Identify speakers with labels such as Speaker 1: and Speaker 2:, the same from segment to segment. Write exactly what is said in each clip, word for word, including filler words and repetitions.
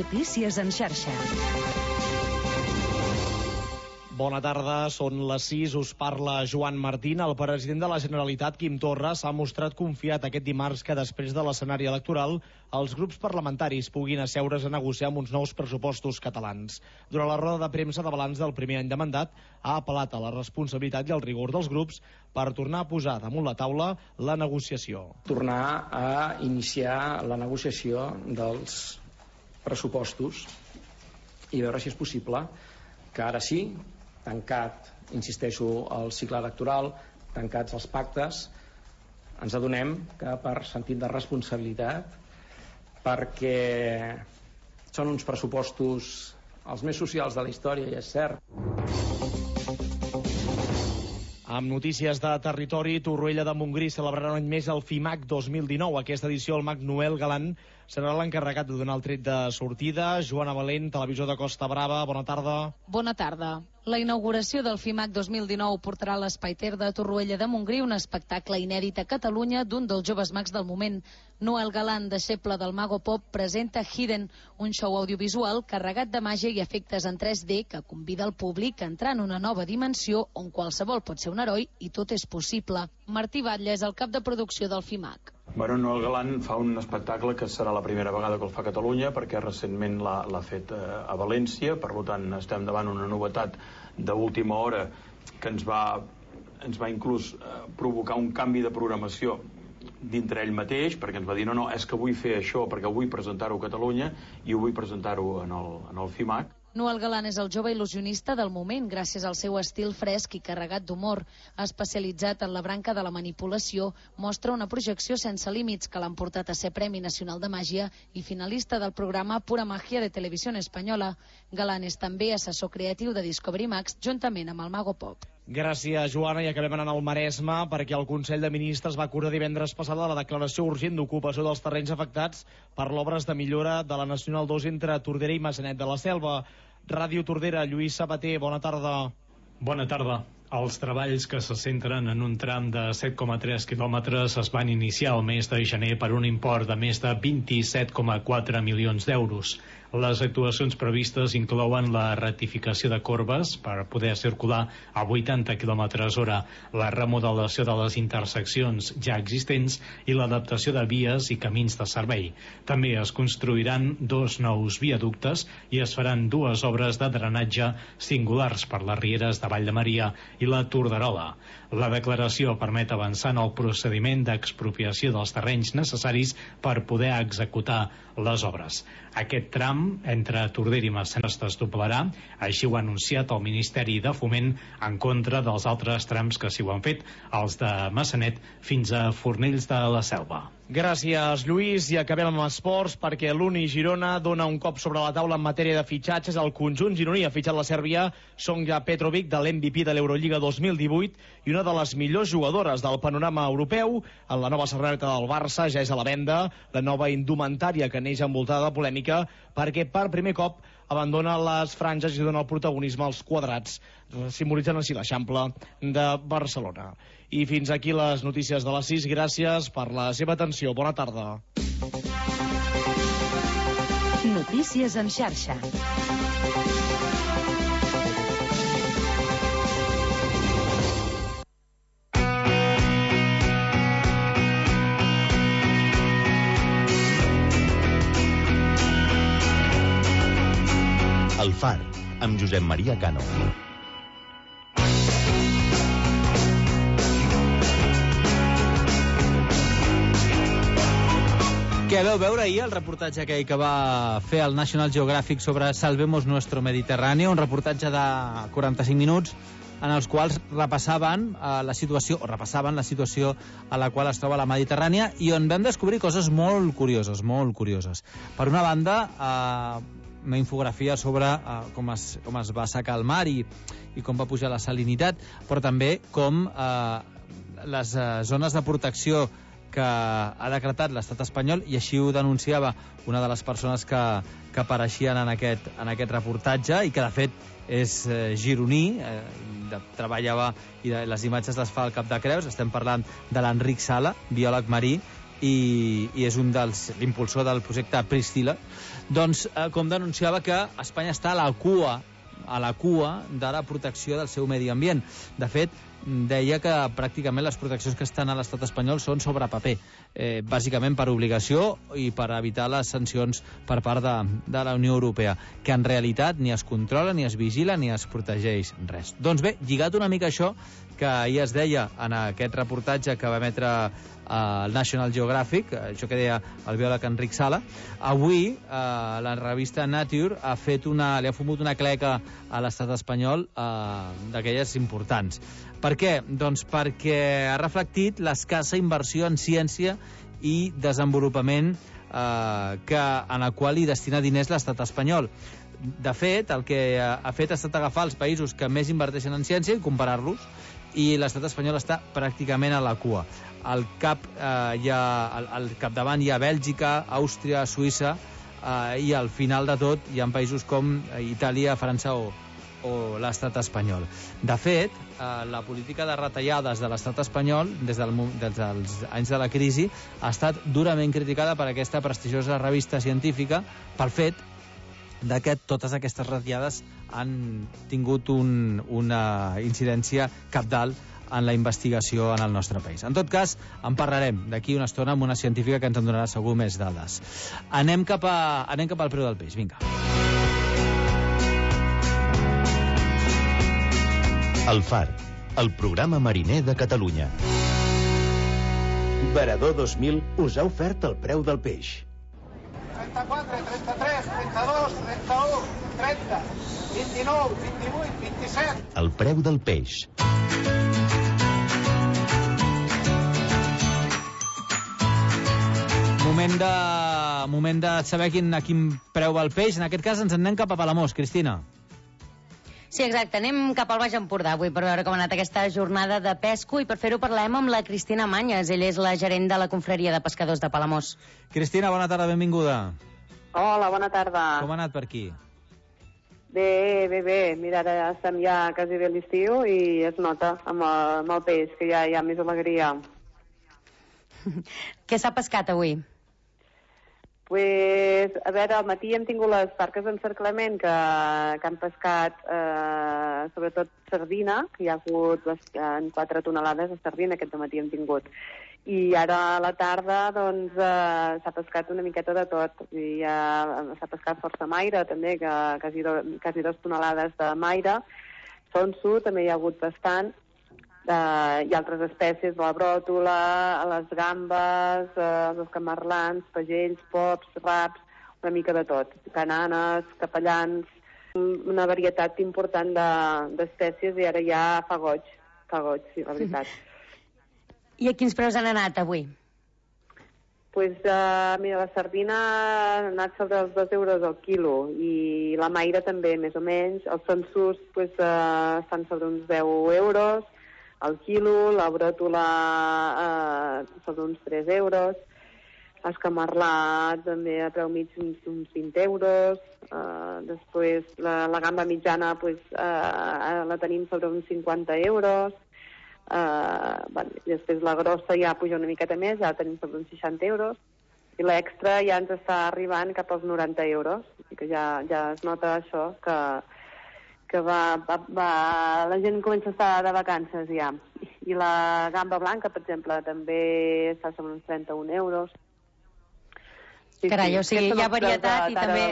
Speaker 1: Notícies en xarxa.
Speaker 2: Bona tarda, són les sis, us parla Joan Martín. El president de la Generalitat, Quim Torra, s'ha mostrat confiat aquest dimarts que després de l'escenari electoral els grups parlamentaris puguin asseure's a negociar amb uns nous pressupostos catalans. Durant la roda de premsa de balanç del primer any de mandat, ha apel·lat a la responsabilitat i al rigor dels grups per tornar a posar damunt la taula la negociació.
Speaker 3: Tornar a iniciar la negociació dels pressupostos i veure si és possible que ara sí, tancat, insisteixo, el cicle electoral, tancats els pactes, ens adonem que per sentit de responsabilitat, perquè són uns pressupostos els més socials de la història, i és cert.
Speaker 2: Amb notícies de territori, Torroella de Montgrí celebrarà un any més el FIMAC dos mil dinou. Aquesta edició el mag Noel Galan serà l'encarregat de donar el tret de sortida. Joana Valent, televisió de Costa Brava, bona tarda.
Speaker 4: Bona tarda. La inauguració del FIMAC dos mil dinou portarà a l'Espai Ter de Torroella de Montgrí un espectacle inèdit a Catalunya d'un dels joves mags del moment. Noel Galan, deixeble del Mago Pop, presenta Hidden, un show audiovisual carregat de màgia i efectes en tres D que convida el públic a entrar en una nova dimensió on qualsevol pot ser un heroi i tot és possible. Martí Batlle és el cap de producció del FIMAC.
Speaker 5: Bueno, Noel Galan fa un espectacle que serà la primera vegada que el fa a Catalunya, perquè recentment l'ha fet a València, per tant estem davant una novetat d'última hora que ens va, ens va inclús eh, provocar un canvi de programació dintre ell mateix, perquè ens va dir no, no, és que vull fer això perquè vull presentar-ho a Catalunya i ho vull presentar-ho en el, en el FIMAC.
Speaker 4: Noel Galan és el jove il·lusionista del moment gràcies al seu estil fresc i carregat d'humor. Especialitzat en la branca de la manipulació, mostra una projecció sense límits que l'han portat a ser Premi Nacional de Màgia i finalista del programa Pura Magia de Televisió Espanyola. Galan és també assessor creatiu de Discovery Max juntament amb el Mago Pop.
Speaker 2: Gràcies, Joana, i acabem anant al Maresme perquè el Consell de Ministres va acordar divendres passada la declaració urgent d'ocupació dels terrenys afectats per l'obres de millora de la Nacional dos entre Tordera i Massanet de la Selva. Ràdio Tordera, Lluís Sabater, bona tarda.
Speaker 6: Bona tarda. Els treballs que se centren en un tram de set coma tres quilòmetres es van iniciar el mes de gener per un import de més de vint-i-set coma quatre milions d'euros. Les actuacions previstes inclouen la rectificació de corbes per poder circular a vuitanta quilòmetres hora, la remodelació de les interseccions ja existents i l'adaptació de vies i camins de servei. També es construiran dos nous viaductes i es faran dues obres de drenatge singulars per les rieres de Vall de Maria i la Torderola. La declaració permet avançar en el procediment d'expropiació dels terrenys necessaris per poder executar les obres. Aquest tram entre Tordera i Massanet es desdoblarà, així ho ha anunciat el Ministeri de Foment en contra dels altres trams que s'hi ho han fet, els de Massanet fins a Fornells de la Selva.
Speaker 2: Gràcies, Lluís, i acabem amb esports perquè l'Uni Girona dona un cop sobre la taula en matèria de fitxatges. El conjunt gironí ha fitxat la sèrbia Sonja Petrovic, de l'M V P de l'Eurolliga dos mil divuit i una de les millors jugadores del panorama europeu. En la nova samarreta del Barça ja és a la venda la nova indumentària que neix envoltada de polèmica perquè per primer cop abandona les franges i dona el protagonisme als quadrats, simbolitzant així l'Eixample de Barcelona. I fins aquí les notícies de les sis. Gràcies per la seva atenció. Bona tarda.
Speaker 1: Notícies en xarxa.
Speaker 7: El Far, amb Josep Maria Cano.
Speaker 8: Què veu veure ahir el reportatge aquell que va fer el National Geographic sobre Salvemos Nuestro Mediterráneo, un reportatge de quaranta-cinc minuts en els quals repassaven eh, la situació, o repassaven la situació a la qual es troba la Mediterrània i on vam descobrir coses molt curioses, molt curioses. Per una banda, eh, una infografia sobre eh, com, es, com es va assecar el mar i, i com va pujar la salinitat, però també com eh, les eh, zones de protecció que ha decretat l'estat espanyol, i així ho denunciava una de les persones que, que apareixien en aquest, en aquest reportatge i que de fet és eh, gironí, eh, de, treballava i de, les imatges les fa al Cap de Creus. Estem parlant de l'Enric Sala, biòleg marí, i, i és un dels l'impulsor del projecte Priscila, doncs, eh, com denunciava que Espanya està a la cua a la cua de la protecció del seu medi ambient. De fet, deia que pràcticament les proteccions que estan a l'estat espanyol són sobre paper, eh, bàsicament per obligació i per evitar les sancions per part de, de la Unió Europea, que en realitat ni es controla, ni es vigila, ni es protegeix res. Doncs bé, lligat una mica això, que ahir es deia en aquest reportatge que va emetre el National Geographic, això que deia el biòleg Enric Sala, avui eh, la revista Nature ha fet una, li ha fumut una cleca a l'estat espanyol eh, d'aquelles importants. Per què? Doncs perquè ha reflectit l'escassa inversió en ciència i desenvolupament eh, que, en la qual hi destina diners l'estat espanyol. De fet, el que ha fet ha estat agafar els països que més inverteixen en ciència i comparar-los, i l'estat espanyol està pràcticament a la cua. Al cap eh, hi ha, al, al capdavant hi ha Bèlgica, Àustria, Suïssa, eh, i al final de tot hi ha països com Itàlia, França o, o l'estat espanyol. De fet, eh, la política de retallades de l'estat espanyol des, del, des dels anys de la crisi ha estat durament criticada per aquesta prestigiosa revista científica pel fet de que totes aquestes retallades han tingut un, una incidència cabdal en la investigació en el nostre país. En tot cas, en parlarem d'aquí una estona amb una científica que ens en donarà segur més dades. Anem cap, a, anem cap al preu del peix, vinga.
Speaker 7: El Far, el programa mariner de Catalunya. Varador dos mil us ha ofert el preu del peix.
Speaker 9: trenta-quatre, trenta-tres, trenta-dos, trenta-u, trenta, vint-i-nou, vint-i-vuit, vint-i-set.
Speaker 7: El preu del peix.
Speaker 8: Moment de, moment de saber quin, a quin preu va el peix. En aquest cas ens en anem cap a Palamós, Cristina.
Speaker 10: Sí, exacte. Anem cap al Baix Empordà avui per veure com ha anat aquesta jornada de pesco, i per fer-ho parlem amb la Cristina Manyes. Ella és la gerent de la Confraria de Pescadors de Palamós.
Speaker 8: Cristina, bona tarda, benvinguda.
Speaker 11: Hola, bona tarda.
Speaker 8: Com ha anat per aquí?
Speaker 11: Bé, bé, bé. Mira, ara estem ja quasi bé a l'estiu i es nota amb el, amb el peix, que ja hi ha més alegria.
Speaker 10: Què s'ha pescat avui?
Speaker 11: Pues, a veure, al matí hem tingut les barques d'encerclament que, que han pescat eh, sobretot sardina, que hi ha hagut en quatre tonelades de sardina aquest matí hem tingut. I ara a la tarda doncs eh, s'ha pescat una miqueta de tot. I ja s'ha pescat força maire també, que quasi, do, quasi dos tonelades de maire. Sonso també hi ha hagut bastant. Uh, i altres espècies, la bròtola, les gambes, uh, els camarlans, pagells, pops, raps, una mica de tot. Cananes, capellans, una varietat important d'espècies de, i ara ja fa goig, fa goig, sí, la veritat.
Speaker 10: I a quins preus han anat avui?
Speaker 11: Pues, uh, mira, la sardina ha anat sobre els dos euros al quilo i la maire també, més o menys. Els sonsos pues, uh, estan sobre uns deu euros al quilo, la bròtola eh, sobre uns tres euros, els camarlats també a preu mig uns, uns vint euros, eh, després la, la gamba mitjana pues, eh, la tenim sobre uns cinquanta euros, eh, bueno, després la grossa ja puja una miqueta més, ja la tenim sobre uns seixanta euros, i l'extra ja ens està arribant cap als noranta euros, que ja, ja es nota això, que que va, va, va, la gent comença a estar de vacances ja. I la gamba blanca, per exemple, també està sobre uns trenta-un euros.
Speaker 10: Sí, Carai, sí, o sigui, hi ha varietat
Speaker 11: de,
Speaker 10: i també...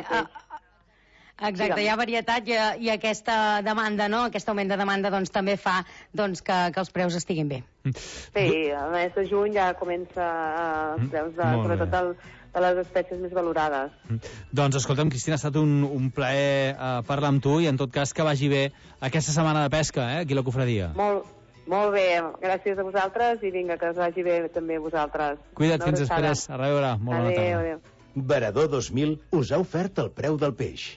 Speaker 10: Exacte, Digue'm. Hi ha varietat i, i aquesta demanda, no? Aquest augment de demanda doncs, també fa doncs, que, que els preus estiguin bé.
Speaker 11: Sí, el mes de juny ja comença els preus, de, sobretot el, de les espècies més valorades.
Speaker 8: Doncs escolta'm, Cristina, ha estat un, un plaer uh, parlar amb tu i en tot cas que vagi bé aquesta setmana de pesca, eh, aquí a la Confraria.
Speaker 11: Molt, molt bé, gràcies a vosaltres i vinga, que us vagi bé també a vosaltres.
Speaker 8: Cuida't, fins després. A reveure. Molt bona tarda.
Speaker 11: Adéu, adéu.
Speaker 7: Varador dos mil us ha ofert el preu del peix.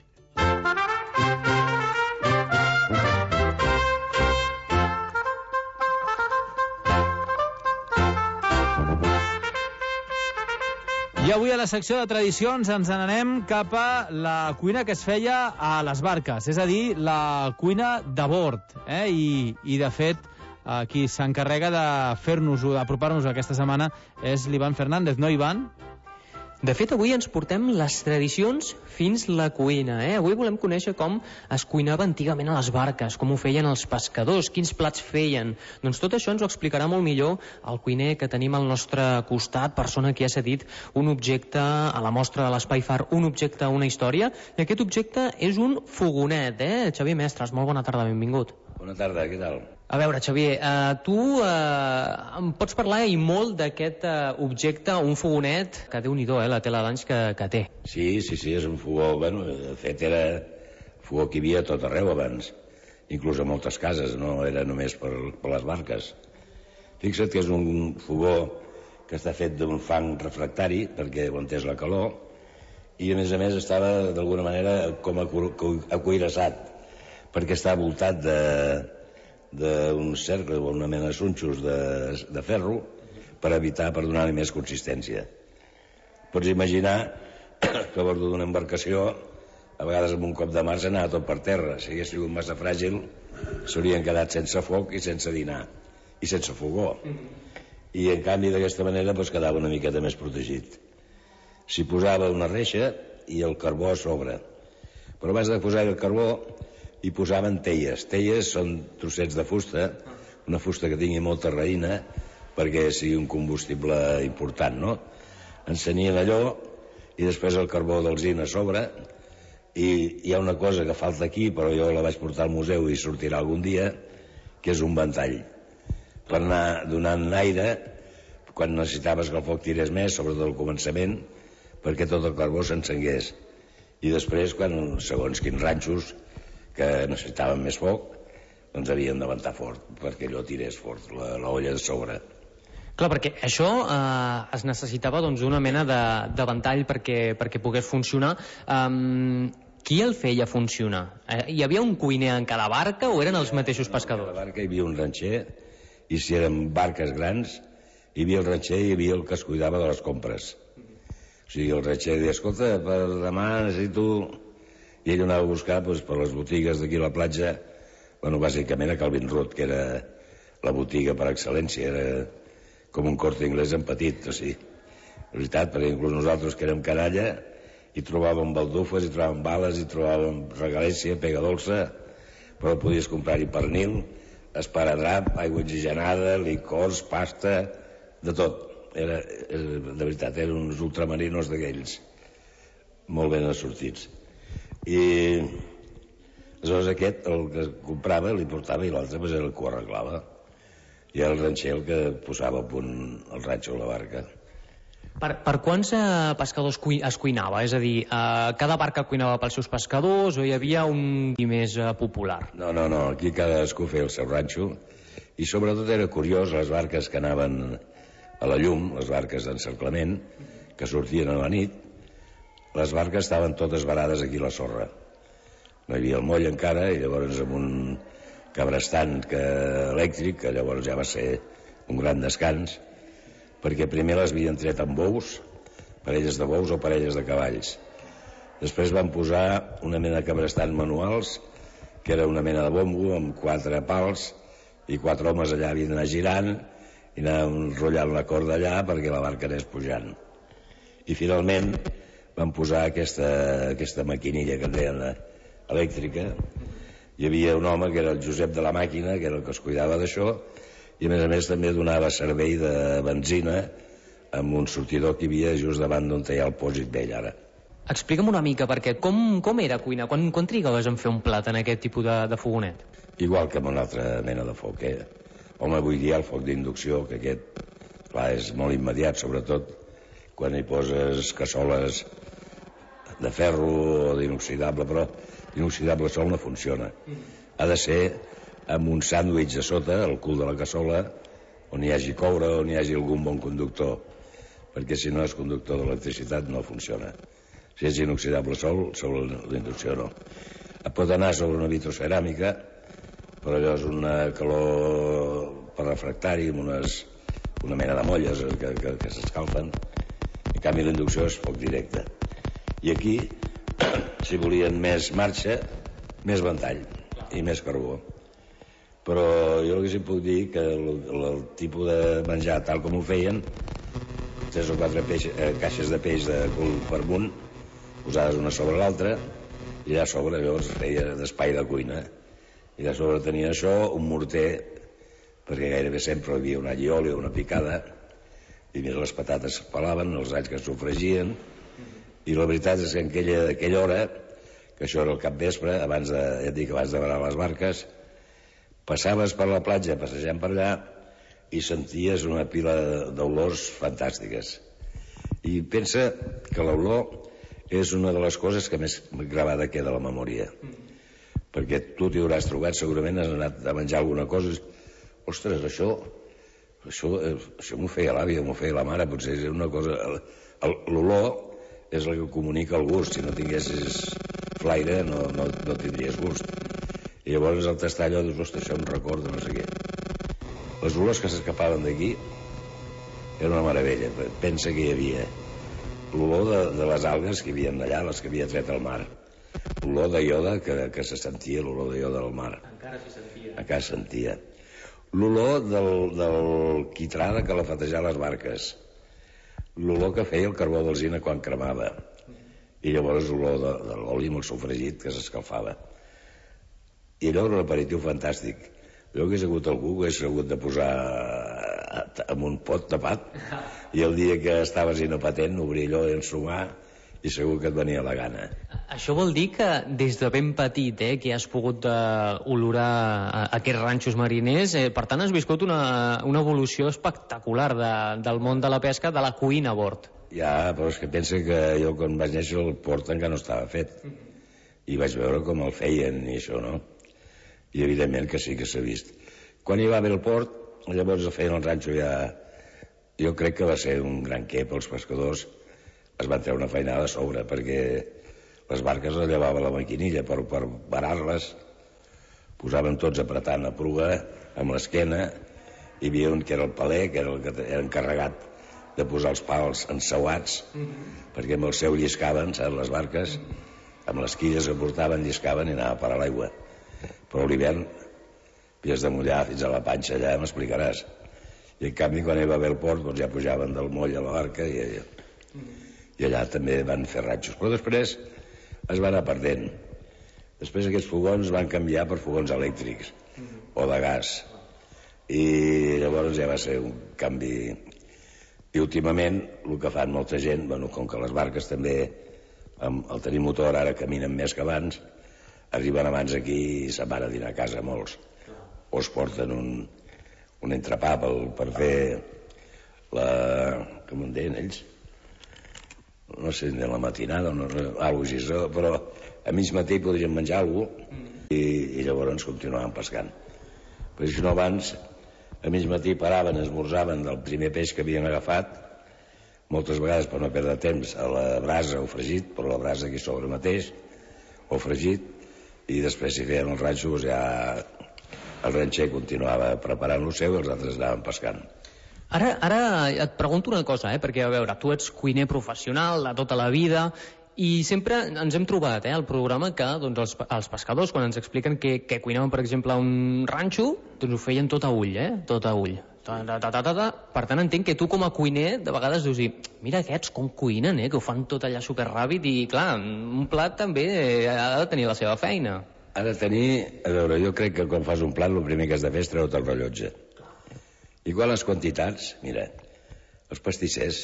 Speaker 8: I avui a la secció de tradicions ens n'anem cap a la cuina que es feia a les barques, és a dir, la cuina de bord. Eh? I, I, de fet, qui s'encarrega de fer-nos-ho, d'apropar-nos aquesta setmana, és l'Ivan Fernández, no, Ivan?
Speaker 12: De fet, avui ens portem les tradicions fins la cuina. Eh? Avui volem conèixer com es cuinava antigament a les barques, com ho feien els pescadors, quins plats feien. Doncs tot això ens ho explicarà molt millor el cuiner que tenim al nostre costat, persona que ha cedit un objecte a la mostra de l'Espai Far, un objecte a una història, i aquest objecte és un fogonet. Eh? Xavier Mestres, molt bona tarda, benvingut.
Speaker 13: Bona tarda, què tal?
Speaker 12: A veure, Xavier, eh, tu eh, em pots parlar i molt d'aquest eh, objecte, un fogonet, que déu-n'hi-do, eh, la tela d'anys que, que té.
Speaker 13: Sí, sí, sí, és un fogó, bueno, de fet era fogó que hi havia a tot arreu abans, inclús a moltes cases, no era només per, per les barques. Fixa't que és un fogó que està fet d'un fang refractari, perquè aguantés la calor, i a més a més estava d'alguna manera com acuirassat, perquè està voltat de d'un cercle o una mena de sunxos de, de ferro per evitar, per donar-li més consistència. Pots imaginar que a bord d'una embarcació a vegades amb un cop de mar s'anava tot per terra. Si hagués sigut massa fràgil s'haurien quedat sense foc i sense dinar i sense fogó, i en canvi d'aquesta manera pues, quedava una miqueta més protegit. S'hi posava una reixa i el carbó a sobre, però abans de posar el carbó hi posaven teies. Teies són trossets de fusta, una fusta que tingui molta raïna perquè sigui un combustible important, no? Encenien allò i després el carbó d'alzina a sobre, i hi ha una cosa que falta aquí, però jo la vaig portar al museu i sortirà algun dia, que és un ventall per anar donant aire quan necessitaves que el foc tirés més, sobretot al començament, perquè tot el carbó s'encengués. I després, quan segons quins ranxos que necessitaven més foc, doncs havien de ventar fort perquè allò tirés fort, la, la olla de sobre.
Speaker 12: Clar, perquè això eh, es necessitava doncs, una mena de, de ventall perquè, perquè pogués funcionar. Um, qui el feia funcionar? Eh, hi havia un cuiner en cada barca o eren els mateixos pescadors?
Speaker 13: En cada barca hi havia un ranxer, i si eren barques grans hi havia el ranxer i hi havia el que es cuidava de les compres. O sigui, el ranxer deia, escolta, per demà necessito... I ell anava a buscar doncs, per les botigues d'aquí a la platja, bueno, bàsicament a Calvin Road, que era la botiga per excel·lència, era com un Corte Inglés en petit, o sigui, la veritat, perquè inclús nosaltres que érem canalla, hi trobàvem baldufes, hi trobàvem bales, hi trobàvem regalèssia, pega dolça, però podies comprar-hi pernil, esparadrap, aigua oxigenada, licors, pasta, de tot. Era, de veritat, eren uns ultramarinos d'aquells, molt ben assortits. I aleshores aquest, el que comprava, li portava, i l'altre pues, era el que ho arreglava. I era el ranxer el que posava a punt el ranxo a la barca.
Speaker 12: Per, per quants eh, pescadors cui, es cuinava? És a dir, eh, cada barca cuinava pels seus pescadors o hi havia un més eh, popular?
Speaker 13: No, no, no, aquí cadascú feia el seu ranxo, i sobretot era curiós les barques que anaven a la llum, les barques d'encerclament, que sortien a la nit. Les barques estaven totes varades aquí a la sorra. No hi havia el moll encara, i llavors amb un cabrestant que, elèctric, que llavors ja va ser un gran descans, perquè primer les havien tret amb bous, parelles de bous o parelles de cavalls. Després van posar una mena de cabrestant manuals, que era una mena de bombo amb quatre pals, i quatre homes allà havien d'anar girant i anar enrotllant la corda allà perquè la barca anés pujant. I finalment van posar aquesta, aquesta maquinilla que en deien elèctrica. Hi havia un home que era el Josep de la Màquina, que era el que es cuidava d'això, i a més a més també donava servei de benzina amb un sortidor que hi havia just davant d'on hi ha el pòsit vell ara.
Speaker 12: Explica'm una mica, perquè com, com era cuinar? Quan, quan trigaves en fer un plat en aquest tipus de, de fogonet?
Speaker 13: Igual que amb una altra mena de foc, eh? Home, avui dia el foc d'inducció, que aquest, clar, és molt immediat, sobretot quan hi poses cassoles de ferro o d'inoxidable, però l'inoxidable sol no funciona. Ha de ser amb un sàndwich a sota, al cul de la cassola, on hi hagi coure, on hi hagi algun bon conductor, perquè si no és conductor d'electricitat no funciona. Si és inoxidable sol, sobre l'inducció no. Pot anar sobre una vitroceràmica, però allò és una calor per refractari, amb unes, una mena de molles que, que, que s'escalfen. En canvi, la inducció és foc directe. I aquí, si volien més marxa, més ventall i més carbó. però jo el que sí puc dir que el, el tipus de menjar tal com ho feien, tres o quatre peix, eh, caixes de peix de cul per munt, posades una sobre l'altra, i allà a sobre llavors feia d'espai de cuina, i allà a sobre tenia això, un morter, perquè gairebé sempre hi havia una allioli o una picada, i més les patates es pelaven, els alls que es sofregien, i la veritat és que en aquella, aquella hora, que això era el capvespre, abans de, ja et dic, abans de varar les barques, passaves per la platja passejant per allà i senties una pila d'olors fantàstiques. I pensa que l'olor és una de les coses que més gravada queda a la memòria. Perquè tu t'hi hauràs trobat, segurament has anat a menjar alguna cosa i, ostres, això, això, això m'ho feia l'àvia, m'ho feia la mare, potser és una cosa... L'olor és el que comunica el gust. Si no tinguessis flaire no, no, no tindries gust. I llavors al tastar allò dius, ostres, això em recorda no sé què. Les olors que s'escapaven d'aquí era una meravella. Pensa que hi havia l'olor de, de les algues que hi havia allà, les que havia tret al mar, l'olor de ioda que, que se sentia, l'olor de ioda del mar, encara se sentia, encara se sentia. L'olor del, del quitrà de calafatejar les barques, l'olor que feia el carbó d'alzina quan cremava, i llavors l'olor de, de l'oli amb el sofregit que s'escalfava. I allò era un aperitiu fantàstic. Jo hagués hagut algú que hagués hagut de posar en un pot tapat, i el dia que estaves inapatent obrir allò i ensumar, i segur que et venia la gana.
Speaker 12: Això vol dir que des de ben petit eh, que has pogut uh, olorar aquests ranxos mariners, eh, per tant has viscut una, una evolució espectacular de, del món de la pesca, de la cuina a bord.
Speaker 13: Ja, però és que pensa que jo quan vaig néixer el port encara no estava fet, i vaig veure com el feien i això, no? I evidentment que sí que s'ha vist. Quan hi va haver el port, llavors el feien el ranxo ja... Jo crec que va ser un gran què pels pescadors. Es van treure una feinada a sobre, perquè les barques les llevava la maquinilla per, per varar-les. Posaven tots apretant a pruga, amb l'esquena. Hi havia un que era el paler, que era el que era encarregat de posar els pals ensauats, mm-hmm. perquè amb el seu lliscaven, saps, les barques, amb les quilles que portaven, lliscaven i anava a parar l'aigua. Però a l'hivern havies de mullar fins a la panxa, allà m'explicaràs. I en canvi quan hi va haver el port doncs ja pujaven del moll a la barca i, i allà també van fer ratxos. Però després es va anar perdent. Després aquests fogons van canviar per fogons elèctrics o de gas, i llavors ja va ser un canvi. I últimament el que fan molta gent, bueno, com que les barques també amb el tenir motor ara caminen més que abans, arriben abans aquí i se'n van a dinar a casa molts, o es porten un, un entrepà per, per fer la... com en deien ells? No sé, de la matinada o no, alguna cosa, però a mig matí podrien menjar alguna cosa i, i llavors continuaven pescant. Però si no abans, a mig matí paraven, esmorzaven del primer peix que havien agafat, moltes vegades per no perdre temps a la brasa o fregit, però la brasa aquí sobre mateix, o fregit, i després si feien el ranxo doncs ja el ranxer continuava preparant el seu i els altres anaven pescant.
Speaker 12: Ara, ara et pregunto una cosa, eh? Perquè a veure, tu ets cuiner professional de tota la vida i sempre ens hem trobat eh, al programa que doncs, els, els pescadors quan ens expliquen que, que cuinaven per exemple un ranxo doncs ho feien tot a ull, eh? Tot a ull. Ta, ta, ta, ta, ta. Per tant entenc que tu com a cuiner de vegades dius mira aquests com cuinen, eh? Que ho fan tot allà superràpid i clar, un plat també ha de tenir la seva feina.
Speaker 13: Ha de tenir, a veure, jo crec que quan fas un plat el primer que has de fer és treure't el rellotge. Igual les quantitats, mira, els pastissers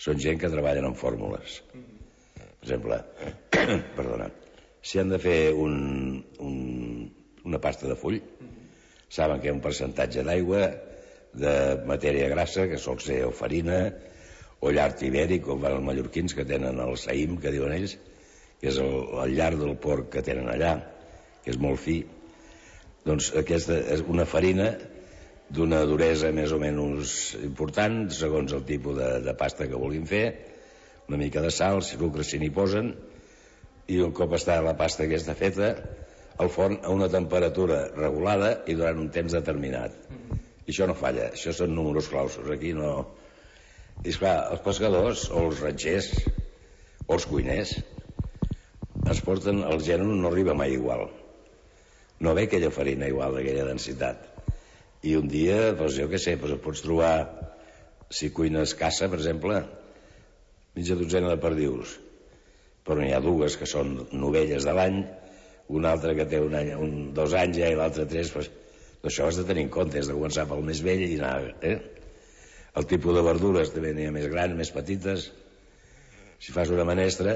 Speaker 13: són gent que treballen amb fórmules. Per exemple, perdona, si han de fer un, un, una pasta de full, saben que hi ha un percentatge d'aigua, de matèria grassa, que sol ser o farina, o llard ibèric, com van els mallorquins, que tenen el saïm, que diuen ells, que és el, el llard del porc que tenen allà, que és molt fi. Doncs aquesta és una farina d'una duresa més o menys important, segons el tipus de, de pasta que vulguin fer, una mica de sal, sucre si n'hi posen, i un cop està la pasta aquesta feta, al forn a una temperatura regulada i durant un temps determinat. I això no falla, això són números clausos, aquí no... I esclar, els pescadors, o els ranxers, o els cuiners, es porten, el gènere no arriba mai igual. no ve aquella farina igual d'aquella densitat. I un dia, doncs jo què sé, doncs pots trobar, si cuines caça, per exemple, mitja dotzena de perdius, però n'hi ha dues que són novelles de l'any, una altra que té un any, un, dos anys ja i l'altra tres, doncs, això has de tenir en compte, has de començar pel més vell i anar, eh? El tipus de verdures també n'hi ha més grans, més petites. Si fas una menestra,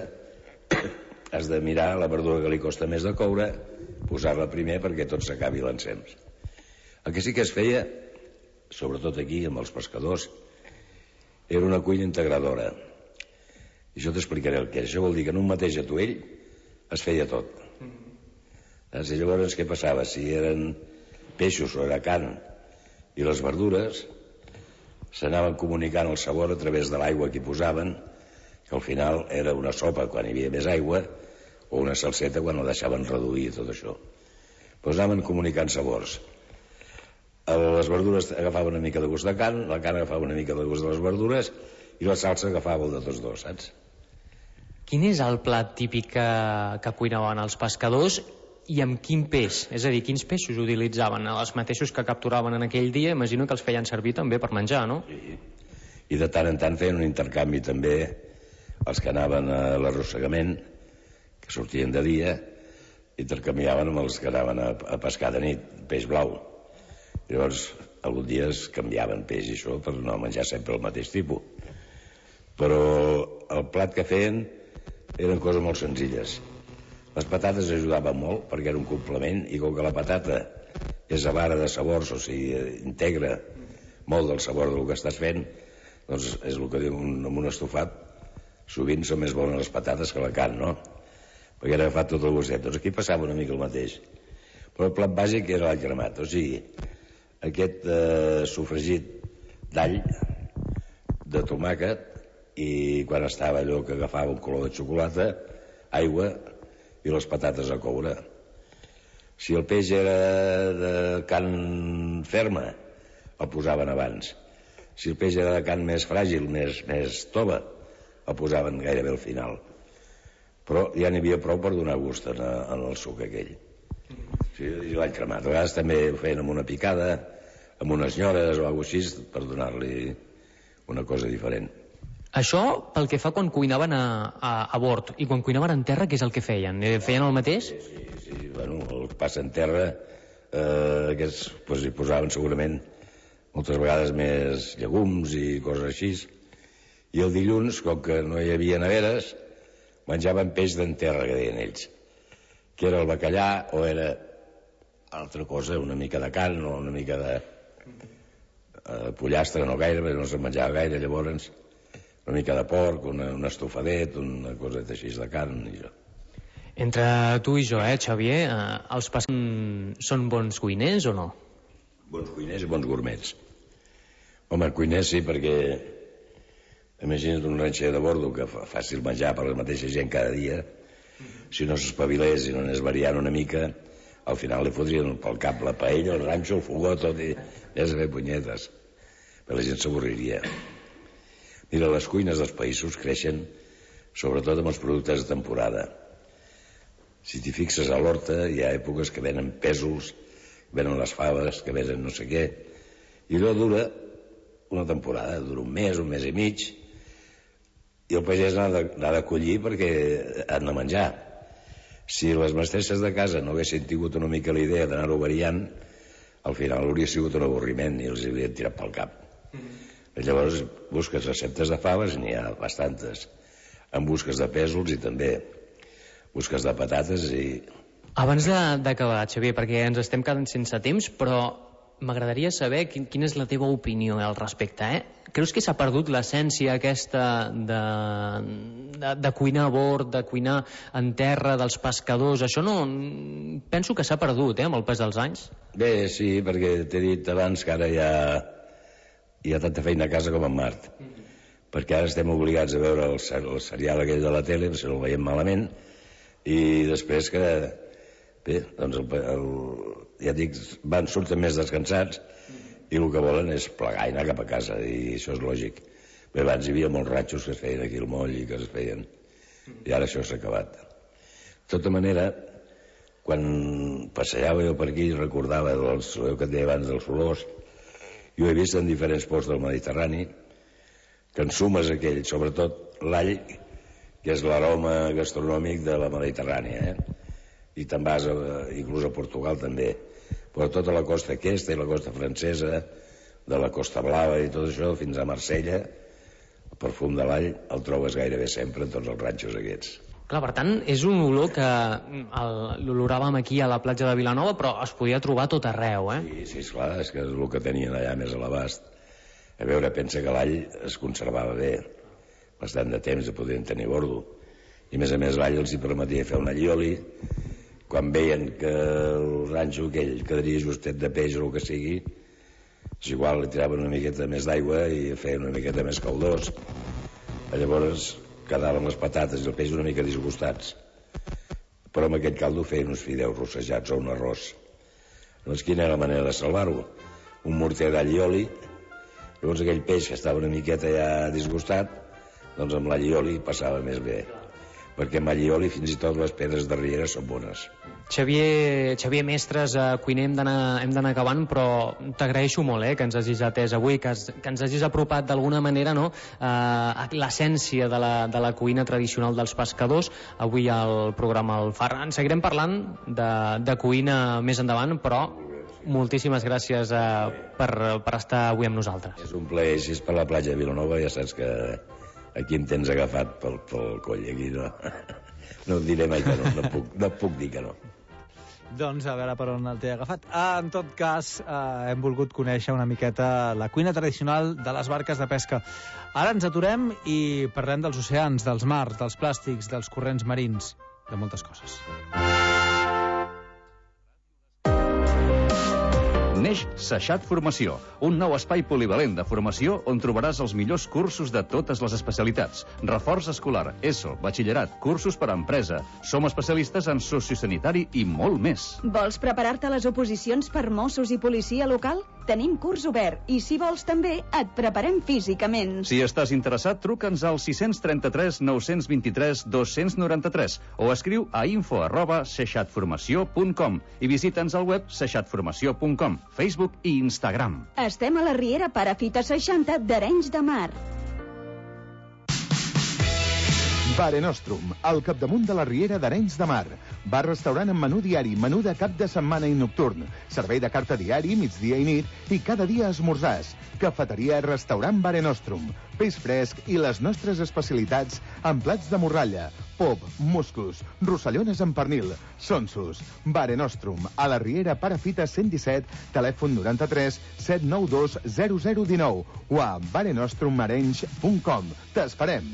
Speaker 13: has de mirar la verdura que li costa més de coure, posar-la primer perquè tot s'acabi l'ensems. El que sí que es feia, sobretot aquí amb els pescadors, era una cuina integradora. I això t'explicaré el que és. Això vol dir que en un mateix atuell es feia tot. I llavors què passava? Si eren peixos o era carn i les verdures, s'anaven comunicant el sabor a través de l'aigua que hi posaven, que al final era una sopa quan hi havia més aigua o una salseta quan la deixaven reduir tot això. Doncs anaven comunicant sabors. Les verdures agafaven una mica de gust de carn, la carn agafava una mica de gust de les verdures i la salsa agafava el de tots dos, saps?
Speaker 12: Quin és el plat típic que, que cuinaven els pescadors i amb quin peix? És a dir, quins peixos utilitzaven? Els mateixos que capturaven en aquell dia, imagino que els feien servir també per menjar, no?
Speaker 13: Sí. I de tant en tant feien un intercanvi també els que anaven a l'arrossegament, que sortien de dia, intercanviaven amb els que anaven a, a pescar de nit, peix blau. Llavors, alguns dies canviaven peix i això per no menjar sempre el mateix tipus. Però el plat que feien eren coses molt senzilles. Les patates ajudaven molt perquè era un complement i com que la patata és avara de sabors, o sigui, integra molt del sabor del que estàs fent, doncs és el que diu amb un estofat, sovint són més bones les patates que la carn, no? Perquè era agafat tot el gustet. Doncs aquí passava una mica el mateix. Però el plat bàsic era l'all cremat, o sigui, aquest eh, sofregit d'all, de tomàquet, i quan estava allò que agafava un color de xocolata, aigua i les patates a coure. Si el peix era de carn ferma, el posaven abans. Si el peix era de carn més fràgil, més, més tova, el posaven gairebé al final. Però ja n'hi havia prou per donar gust en, en el suc aquell. Sí, i l'all cremat. A vegades també ho feien amb una picada, amb unes nyores o alguna cosa així, per donar-li una cosa diferent.
Speaker 12: Això pel que fa quan cuinaven a, a, a bord i quan cuinaven en terra, què és el que feien? Feien el mateix?
Speaker 13: Sí, sí, sí. Bueno, el que passa en terra, eh, aquests pues, hi posaven segurament moltes vegades més llegums i coses així. I el dilluns, com que no hi havia neveres, menjaven peix d'en terra, que deien ells, que era el bacallà o era altra cosa, una mica de carn o una mica de eh, pollastre, no gaire, perquè no se'n menjava gaire, llavors una mica de porc, una, un estofadet, una coseta així de carn i això.
Speaker 12: Entre tu i jo, eh, Xavier, eh, els pescadors són bons cuiners o no?
Speaker 13: Bons cuiners i bons gourmets. Home, cuiners sí, perquè imagina't un ranxer de bordo que fa fàcil menjar per la mateixa gent cada dia, si no s'espavilés i no anés variant una mica, al final li fotrien pel cap la paella, el ranxo, el fogó, tot, i és a fer punyetes. Però la gent s'avorriria. Mira, les cuines dels països creixen sobretot amb els productes de temporada. Si t'hi fixes a l'horta, hi ha èpoques que venen pèsols, venen les faves, que venen no sé què, i allò dura una temporada, dura un mes, un mes i mig, i el pagès n'ha de, n'ha de collir perquè han de menjar. Si les mestresses de casa no haguessin tingut una mica la idea d'anar-ho variant, al final hauria sigut un avorriment i els haurien tirat pel cap. Mm-hmm. Llavors busques receptes de faves, n'hi ha bastantes. En busques de pèsols i també busques de patates i...
Speaker 12: Abans d'acabar, Xavier, perquè ens estem quedant sense temps, però m'agradaria saber quin, quina és la teva opinió al respecte, eh? Creus que s'ha perdut l'essència aquesta de, de, de cuinar a bord, de cuinar en terra, dels pescadors? Això no... Penso que s'ha perdut, eh, amb el pas dels anys.
Speaker 13: Bé, sí, perquè t'he dit abans que ara hi ha, hi ha tanta feina a casa com en Mart. Mm-hmm. Perquè ara estem obligats a veure el, el serial aquell de la tele, si no el veiem malament, i després que... Bé, doncs el, el, ja dic, van, surten més descansats i el que volen és plegar i anar cap a casa, i això és lògic. Bé, abans hi havia molts ratxos que es feien aquí al moll i que es feien, i ara això s'ha acabat. De tota manera, quan passejava jo per aquí i recordava els, el que et deia abans dels olors. Jo he vist en diferents ports del Mediterrani que ensumes aquell, sobretot l'all, que és l'aroma gastronòmic de la Mediterrània, eh? I te'n vas, a, inclús a Portugal també, però tota la costa aquesta i la costa francesa, de la Costa Blava i tot això, fins a Marsella, el perfum de l'all el trobes gairebé sempre en tots els ranxos aquests.
Speaker 12: Clar, per tant, és un olor que l'oloràvem aquí a la platja de Vilanova, però es podia trobar a tot arreu, eh?
Speaker 13: Sí, sí, esclar, és que és el que tenien allà més a l'abast. A veure, pensa que l'all es conservava bé, bastant de temps, de podien tenir bordo. I a més a més l'all els hi permetia fer un allioli. Quan veien que el ranxo aquell quedaria justet de peix o el que sigui, és igual, li tiraven una miqueta més d'aigua i feien una miqueta més caldós. Llavors quedaven les patates i el peix una mica disgustats. Però amb aquest caldo feien uns fideus rossejats o un arròs. Llavors quina era la manera de salvar-ho? Un morter d'all i oli. Llavors aquell peix que estava una miqueta ja disgustat, doncs amb l'all i oli passava més bé. Perquè amb all i oli fins i tot les pedres de riera són bones.
Speaker 12: Xavier, Xavier Mestres, eh, cuiner, hem d'anar acabant, però t'agraeixo molt eh, que ens hagis atès avui, que, has, que ens hagis apropat d'alguna manera, no, eh, l'essència de, la, de la cuina tradicional dels pescadors, avui al programa El Far. En seguirem parlant de, de cuina més endavant, però moltíssimes gràcies eh, per, per estar avui amb nosaltres.
Speaker 13: És un plaer, si és per la platja de Vilanova, ja saps que aquí em tens agafat pel, pel coll, aquí no, no et diré mai que no, no puc, no puc dir que no.
Speaker 8: Doncs a veure per on el té agafat. Ah, en tot cas, eh, hem volgut conèixer una miqueta la cuina tradicional de les barques de pesca. Ara ens aturem i parlem dels oceans, dels mars, dels plàstics, dels corrents marins, de moltes coses.
Speaker 14: Neix Seixat Formació, un nou espai polivalent de formació on trobaràs els millors cursos de totes les especialitats. Reforç escolar, ESO, batxillerat, cursos per a empresa. Som especialistes en sociosanitari i molt més.
Speaker 15: Vols preparar-te a les oposicions per Mossos i policia local? Tenim curs obert i, si vols també, et preparem físicament.
Speaker 14: Si estàs interessat, truca'ns al sis tres tres nou dos tres dos nou tres o escriu a info arroba seixatformació punt com i visita'ns al web seixatformació punt com, Facebook i Instagram.
Speaker 15: Estem a la Riera Parafita seixanta d'Arenys de Mar.
Speaker 16: Bare Nostrum, al capdamunt de la Riera d'Arenys de Mar. Bar-restaurant amb menú diari, menú de cap de setmana i nocturn. Servei de carta diari, migdia i nit, i cada dia esmorzars. Cafeteria, restaurant Bare Nostrum. Peix fresc i les nostres especialitats amb plats de morralla, pop, musclos, rossellones amb pernil, sonsos. Bare Nostrum, a la Riera Parafita cent disset, telèfon noranta-tres set nou dos zero zero un nou o a barenostromarenys punt com. T'esperem!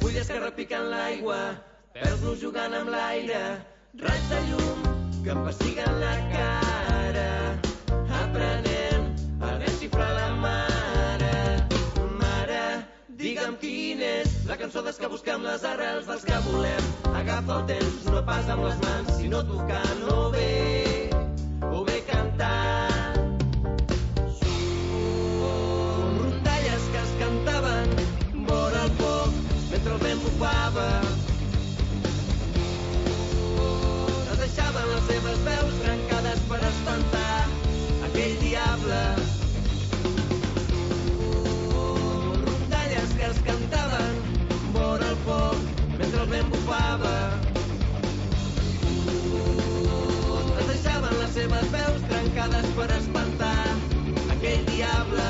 Speaker 17: Fulles que repiquen l'aigua, pèls jugant amb l'aire, raig de llum que em pessiguen la cara, aprenent a desxifrar la mare. Mare, digue'm quina és la cançó des que busquem les arrels dels que volem. Agafa el temps, no pas amb les mans, sinó tocant o bé, o bé cantant. Són rondalles que es cantaven vora el foc mentre el vent bufava. No deixaven les seves veus trencades per espantar aquell diable. Rondalles que es cantaven vora el foc mentre el vent bufava. No deixaven les seves veus trencades per espantar aquell diable.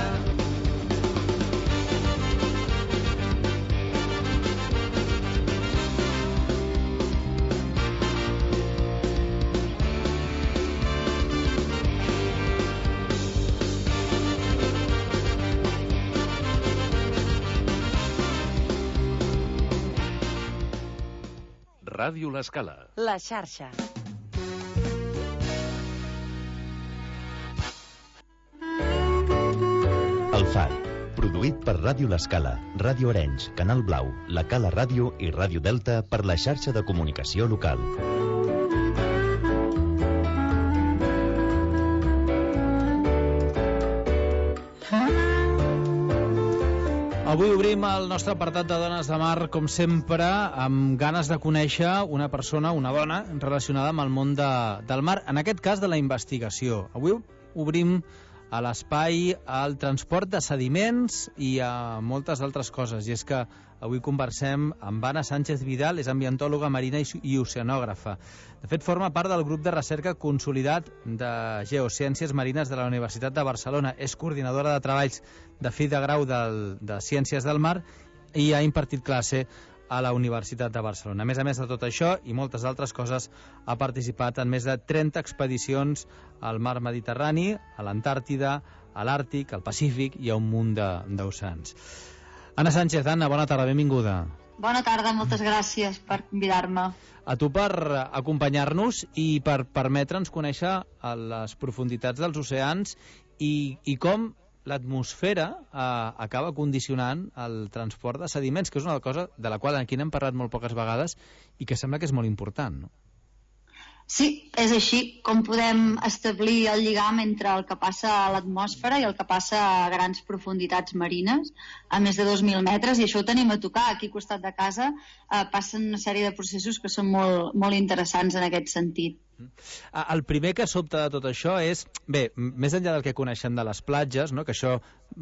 Speaker 14: Ràdio L'Escala.
Speaker 1: La xarxa.
Speaker 7: El Far, produït per Ràdio L'Escala, Ràdio Arenys, Canal Blau, La Cala Ràdio i Ràdio Delta per la xarxa de comunicació local.
Speaker 8: Avui obrim el nostre apartat de Dones de Mar, com sempre, amb ganes de conèixer una persona, una dona, relacionada amb el món de, del mar, en aquest cas de la investigació. Avui obrim a l'espai el transport de sediments i a moltes altres coses. I és que avui conversem amb Anna Sánchez Vidal, és ambientòloga marina i oceanògrafa. De fet, forma part del grup de recerca consolidat de Geociències Marines de la Universitat de Barcelona. És coordinadora de treballs de fi de grau del, de Ciències del Mar i ha impartit classe a la Universitat de Barcelona. A més a més de tot això i moltes altres coses, ha participat en més de trenta expedicions al mar Mediterrani, a l'Antàrtida, a l'Àrtic, al Pacífic i a un munt d'oceans. Anna Sánchez, Anna, bona tarda, benvinguda.
Speaker 18: Bona tarda, moltes gràcies per convidar-me.
Speaker 8: A tu per acompanyar-nos i per permetre'ns conèixer les profunditats dels oceans i, i com l'atmosfera eh, acaba condicionant el transport de sediments, que és una cosa de la qual aquí n'hem parlat molt poques vegades i que sembla que és molt important, no?
Speaker 18: Sí, és així com podem establir el lligam entre el que passa a l'atmosfera i el que passa a grans profunditats marines, a més de dos mil metres, i això ho tenim a tocar. Aquí al costat de casa eh, passen una sèrie de processos que són molt, molt interessants en aquest sentit.
Speaker 8: El primer que sobta de tot això és, bé, més enllà del que coneixem de les platges, no? Que això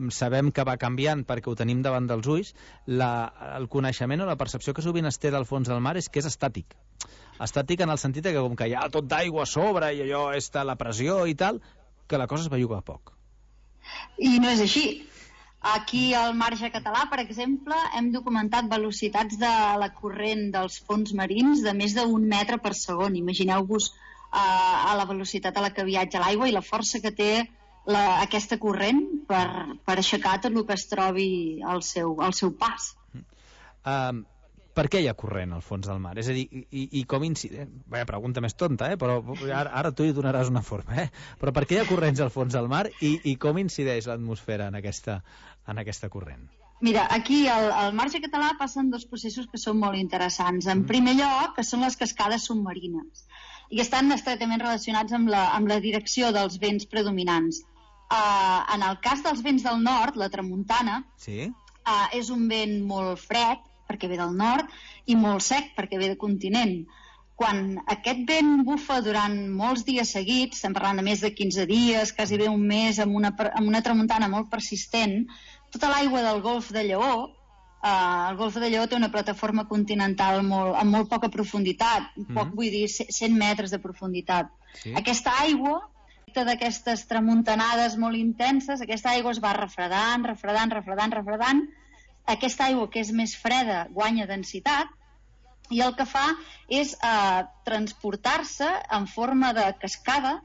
Speaker 8: sabem que va canviant perquè ho tenim davant dels ulls, la, el coneixement o la percepció que sovint es té del fons del mar és que és estàtic. Estàtic en el sentit que com que hi ha tot d'aigua a sobre i allò està la pressió i tal, que la cosa es belluga a poc.
Speaker 18: I no és així. Aquí al marge català, per exemple, hem documentat velocitats de la corrent dels fons marins de més d'un metre per segon. Imagineu-vos uh, a la velocitat a la que viatja l'aigua i la força que té la, aquesta corrent per, per aixecar tot el que es trobi al seu, al seu pas.
Speaker 8: Um, per què hi ha corrent al fons del mar? És a dir, i, i com incide? Vaja, pregunta més tonta, eh? Però ara, ara tu hi donaràs una forma, eh? Però per què hi ha corrents al fons del mar i, i com incideix l'atmosfera en aquesta, en aquesta corrent?
Speaker 18: Mira, aquí al, al marge català passen dos processos que són molt interessants. En primer lloc, que són les cascades submarines, i estan estretament relacionats amb la, amb la direcció dels vents predominants. Uh, en el cas dels vents del nord, la tramuntana,
Speaker 8: sí?
Speaker 18: uh, és un vent molt fred, perquè ve del nord, i molt sec, perquè ve de continent. Quan aquest vent bufa durant molts dies seguits, estem parlant de més de quinze dies, quasi bé un mes, amb una, amb una tramuntana molt persistent, tota l'aigua del golf de Lleó, eh, el golf de Lleó té una plataforma continental molt, amb molt poca profunditat, mm. poc vull dir cent metres de profunditat. Sí. Aquesta aigua, d'aquestes tramuntanades molt intenses, aquesta aigua es va refredant, refredant, refredant, refredant. Aquesta aigua, que és més freda, guanya densitat, i el que fa és eh, transportar-se en forma de cascada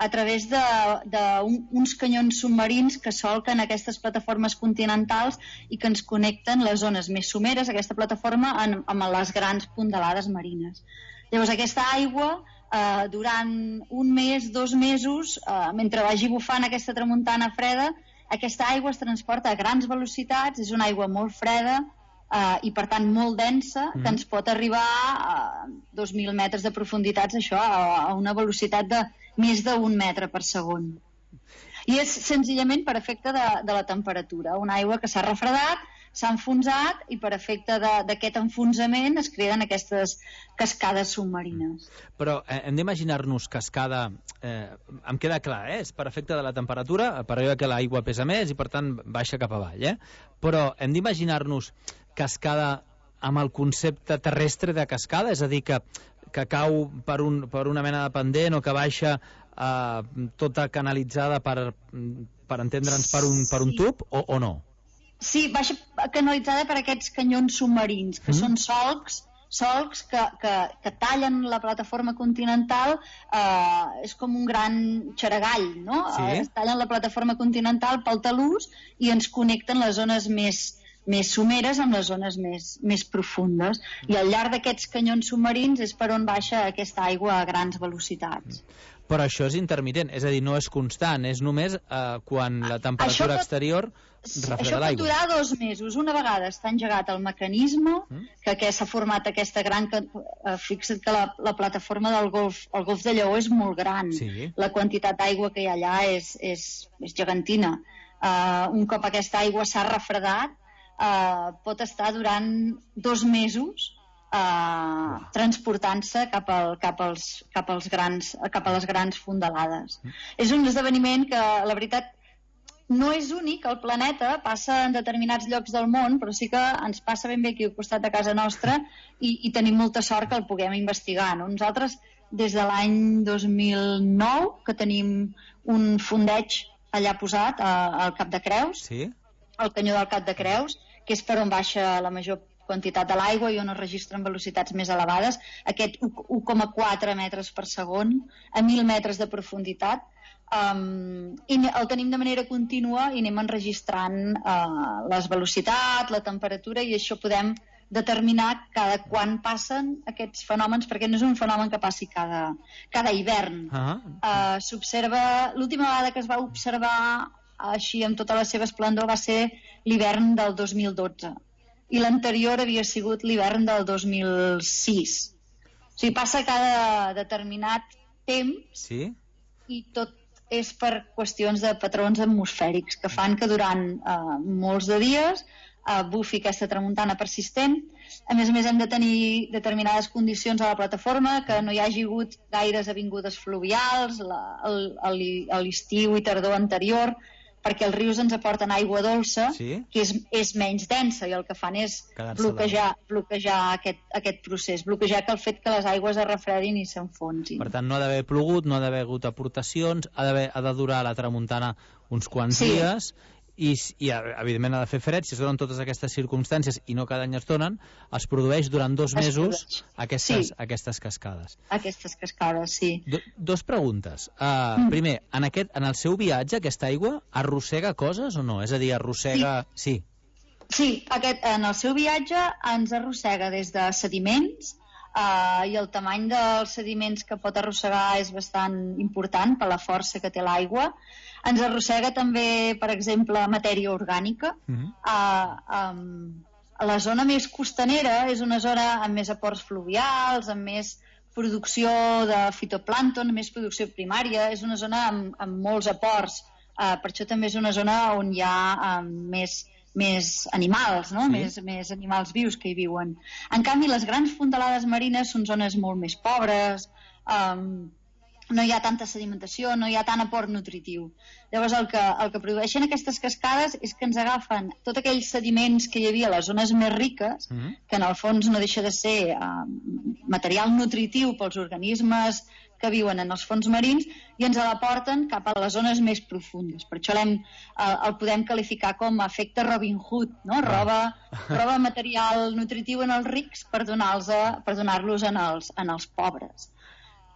Speaker 18: a través d'uns un, canyons submarins que solquen aquestes plataformes continentals i que ens connecten les zones més someres, aquesta plataforma, en, amb les grans fondalades marines. Llavors, aquesta aigua, eh, durant un mes, dos mesos, eh, mentre vagi bufant aquesta tramuntana freda, aquesta aigua es transporta a grans velocitats, és una aigua molt freda eh, i per tant molt densa, mm. que ens pot arribar a dos mil metres de profunditats, això, a, a una velocitat de més d'un metre per segon. I és senzillament per efecte de, de la temperatura, una aigua que s'ha refredat, s'ha enfonsat i per efecte d'aquest enfonsament es creen aquestes cascades submarines.
Speaker 8: Però eh, hem d'imaginar-nos cascada, eh, em queda clar, eh? És per efecte de la temperatura, per allò que l'aigua pesa més i per tant baixa cap avall, eh? Però hem d'imaginar-nos cascada amb el concepte terrestre de cascada, és a dir, que, que cau per, un, per una mena de pendent o que baixa eh, tota canalitzada per, per entendre'ns per un, per un tub o, o no?
Speaker 18: Sí, baixa canalitzada per aquests canyons submarins, que mm. són solcs, solcs que, que, que tallen la plataforma continental, eh, és com un gran xaragall, no? Sí. Es tallen la plataforma continental pel talús i ens connecten les zones més, més someres amb les zones més, més profundes. I al llarg d'aquests canyons submarins és per on baixa aquesta aigua a grans velocitats.
Speaker 8: Però això és intermitent, és a dir, no és constant, és només eh, quan la temperatura pot, exterior refreda l'aigua.
Speaker 18: Això pot durar dos mesos. Una vegada està engegat el mecanisme, mm. que, que s'ha format aquesta gran... Eh, fixa't que la, la plataforma del golf, el golf de Lleó és molt gran. Sí. La quantitat d'aigua que hi ha allà és, és, és gegantina. Uh, un cop aquesta aigua s'ha refredat, uh, pot estar durant dos mesos Uh, transportant-se cap, al, cap, als, cap, als grans, cap a les grans fondalades. Mm. És un esdeveniment que, la veritat, no és únic al planeta, passa en determinats llocs del món, però sí que ens passa ben bé aquí al costat de casa nostra i, i tenim molta sort que el puguem investigar. No? Nosaltres, des de l'any dos mil nou, que tenim un fondeig allà posat al Cap de Creus, sí. al canyó del Cap de Creus, que és per on baixa la major quantitat de l'aigua i on es registren velocitats més elevades, aquest u coma quatre metres per segon a mil metres de profunditat, um, i el tenim de manera contínua i anem enregistrant uh, les velocitats, la temperatura, i això podem determinar cada quan passen aquests fenòmens, perquè no és un fenomen que passi cada, cada hivern. Uh-huh. uh, s'observa, l'última vegada que es va observar així amb tota la seva esplendor va ser l'hivern del dos mil dotze. I l'anterior havia sigut l'hivern del dos mil sis. O sigui, passa cada determinat temps, sí. I tot és per qüestions de patrons atmosfèrics que fan que durant uh, molts de dies uh, bufi aquesta tramuntana persistent. A més a més, hem de tenir determinades condicions a la plataforma, que no hi hagi hagut gaires avingudes fluvials a l'estiu i tardor anterior, perquè els rius ens aporten aigua dolça, sí? Que és, és menys densa, i el que fan és bloquejar, bloquejar aquest, aquest procés, bloquejar que el fet que les aigües es refredin i s'enfonsin.
Speaker 8: Per tant, no ha d'haver plogut, no ha d'haver hagut aportacions, ha, ha de durar la tramuntana uns quants sí. dies, i, i evidentment ha de fer fred. Si es donen totes aquestes circumstàncies i no cada any es donen, es produeix durant dos es mesos aquestes, sí. aquestes cascades.
Speaker 18: Aquestes cascades, sí.
Speaker 8: Do, dos preguntes. Uh, mm. Primer, en, aquest, en el seu viatge, aquesta aigua arrossega coses o no? És a dir, arrossega... Sí,
Speaker 18: sí, sí aquest, en el seu viatge ens arrossega des de sediments, uh, i el tamany dels sediments que pot arrossegar és bastant important per la força que té l'aigua. Ens arrossega també, per exemple, matèria orgànica. Mm-hmm. uh, um, la zona més costanera és una zona amb més aports fluvials, amb més producció de fitoplàncton, més producció primària. És una zona amb, amb molts aports. Uh, per això també és una zona on hi ha um, més, més animals, no? Sí. més, més animals vius que hi viuen. En canvi, les grans fondalades marines són zones molt més pobres, um, no hi ha tanta sedimentació, no hi ha tant aport nutritiu. Llavors el que, el que produeixen aquestes cascades és que ens agafen tots aquells sediments que hi havia a les zones més riques, mm-hmm. que en el fons no deixa de ser uh, material nutritiu pels organismes que viuen en els fons marins, i ens l'aporten cap a les zones més profundes. Per això l'hem, uh, el podem qualificar com a efecte Robin Hood, no? roba, roba material nutritiu en els rics per donar-los per donar-los en els, en els pobres.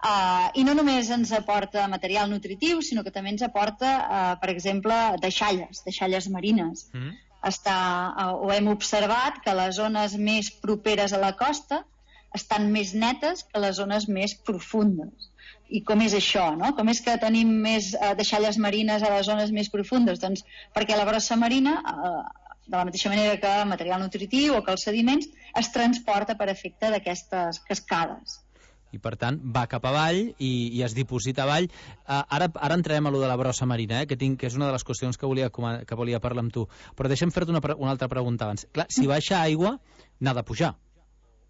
Speaker 18: Uh, I no només ens aporta material nutritiu, sinó que també ens aporta, uh, per exemple, deixalles, deixalles marines. Mm. Està, uh, ho hem observat que les zones més properes a la costa estan més netes que les zones més profundes. I com és això, no? Com és que tenim més uh, deixalles marines a les zones més profundes? Doncs perquè la brossa marina, uh, de la mateixa manera que el material nutritiu o que els sediments, es transporta per efecte d'aquestes cascades.
Speaker 8: I per tant va cap avall i, i es diposita avall. Uh, ara, ara entrarem a lo de la brossa marina, eh, que, tinc, que és una de les qüestions que volia, que volia parlar amb tu. Però deixa'm fer-te una, una altra pregunta abans. Clar, si baixa aigua, n'ha de pujar.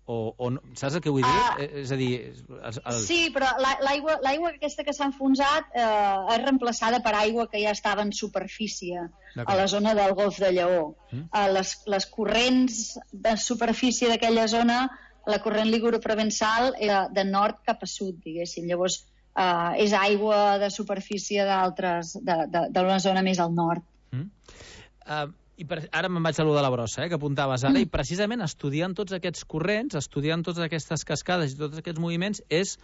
Speaker 8: O, o no, saps el que vull dir? Ah, és a dir... El, el...
Speaker 18: Sí, però l'aigua l'aigua aquesta que s'ha enfonsat eh, és reemplaçada per aigua que ja estava en superfície a la zona del Golf de Lleó. Mm. Eh, les, les corrents de superfície d'aquella zona, la corrent liguro-provençal era de nord cap a sud, diguéssim. Llavors, eh, és aigua de superfície d'altres, d'una zona més al nord.
Speaker 8: Mm. Uh, i per, ara me'n vaig a lo de la brossa, eh, que apuntaves ara, mm. i precisament estudiant tots aquests corrents, estudiant totes aquestes cascades i tots aquests moviments, és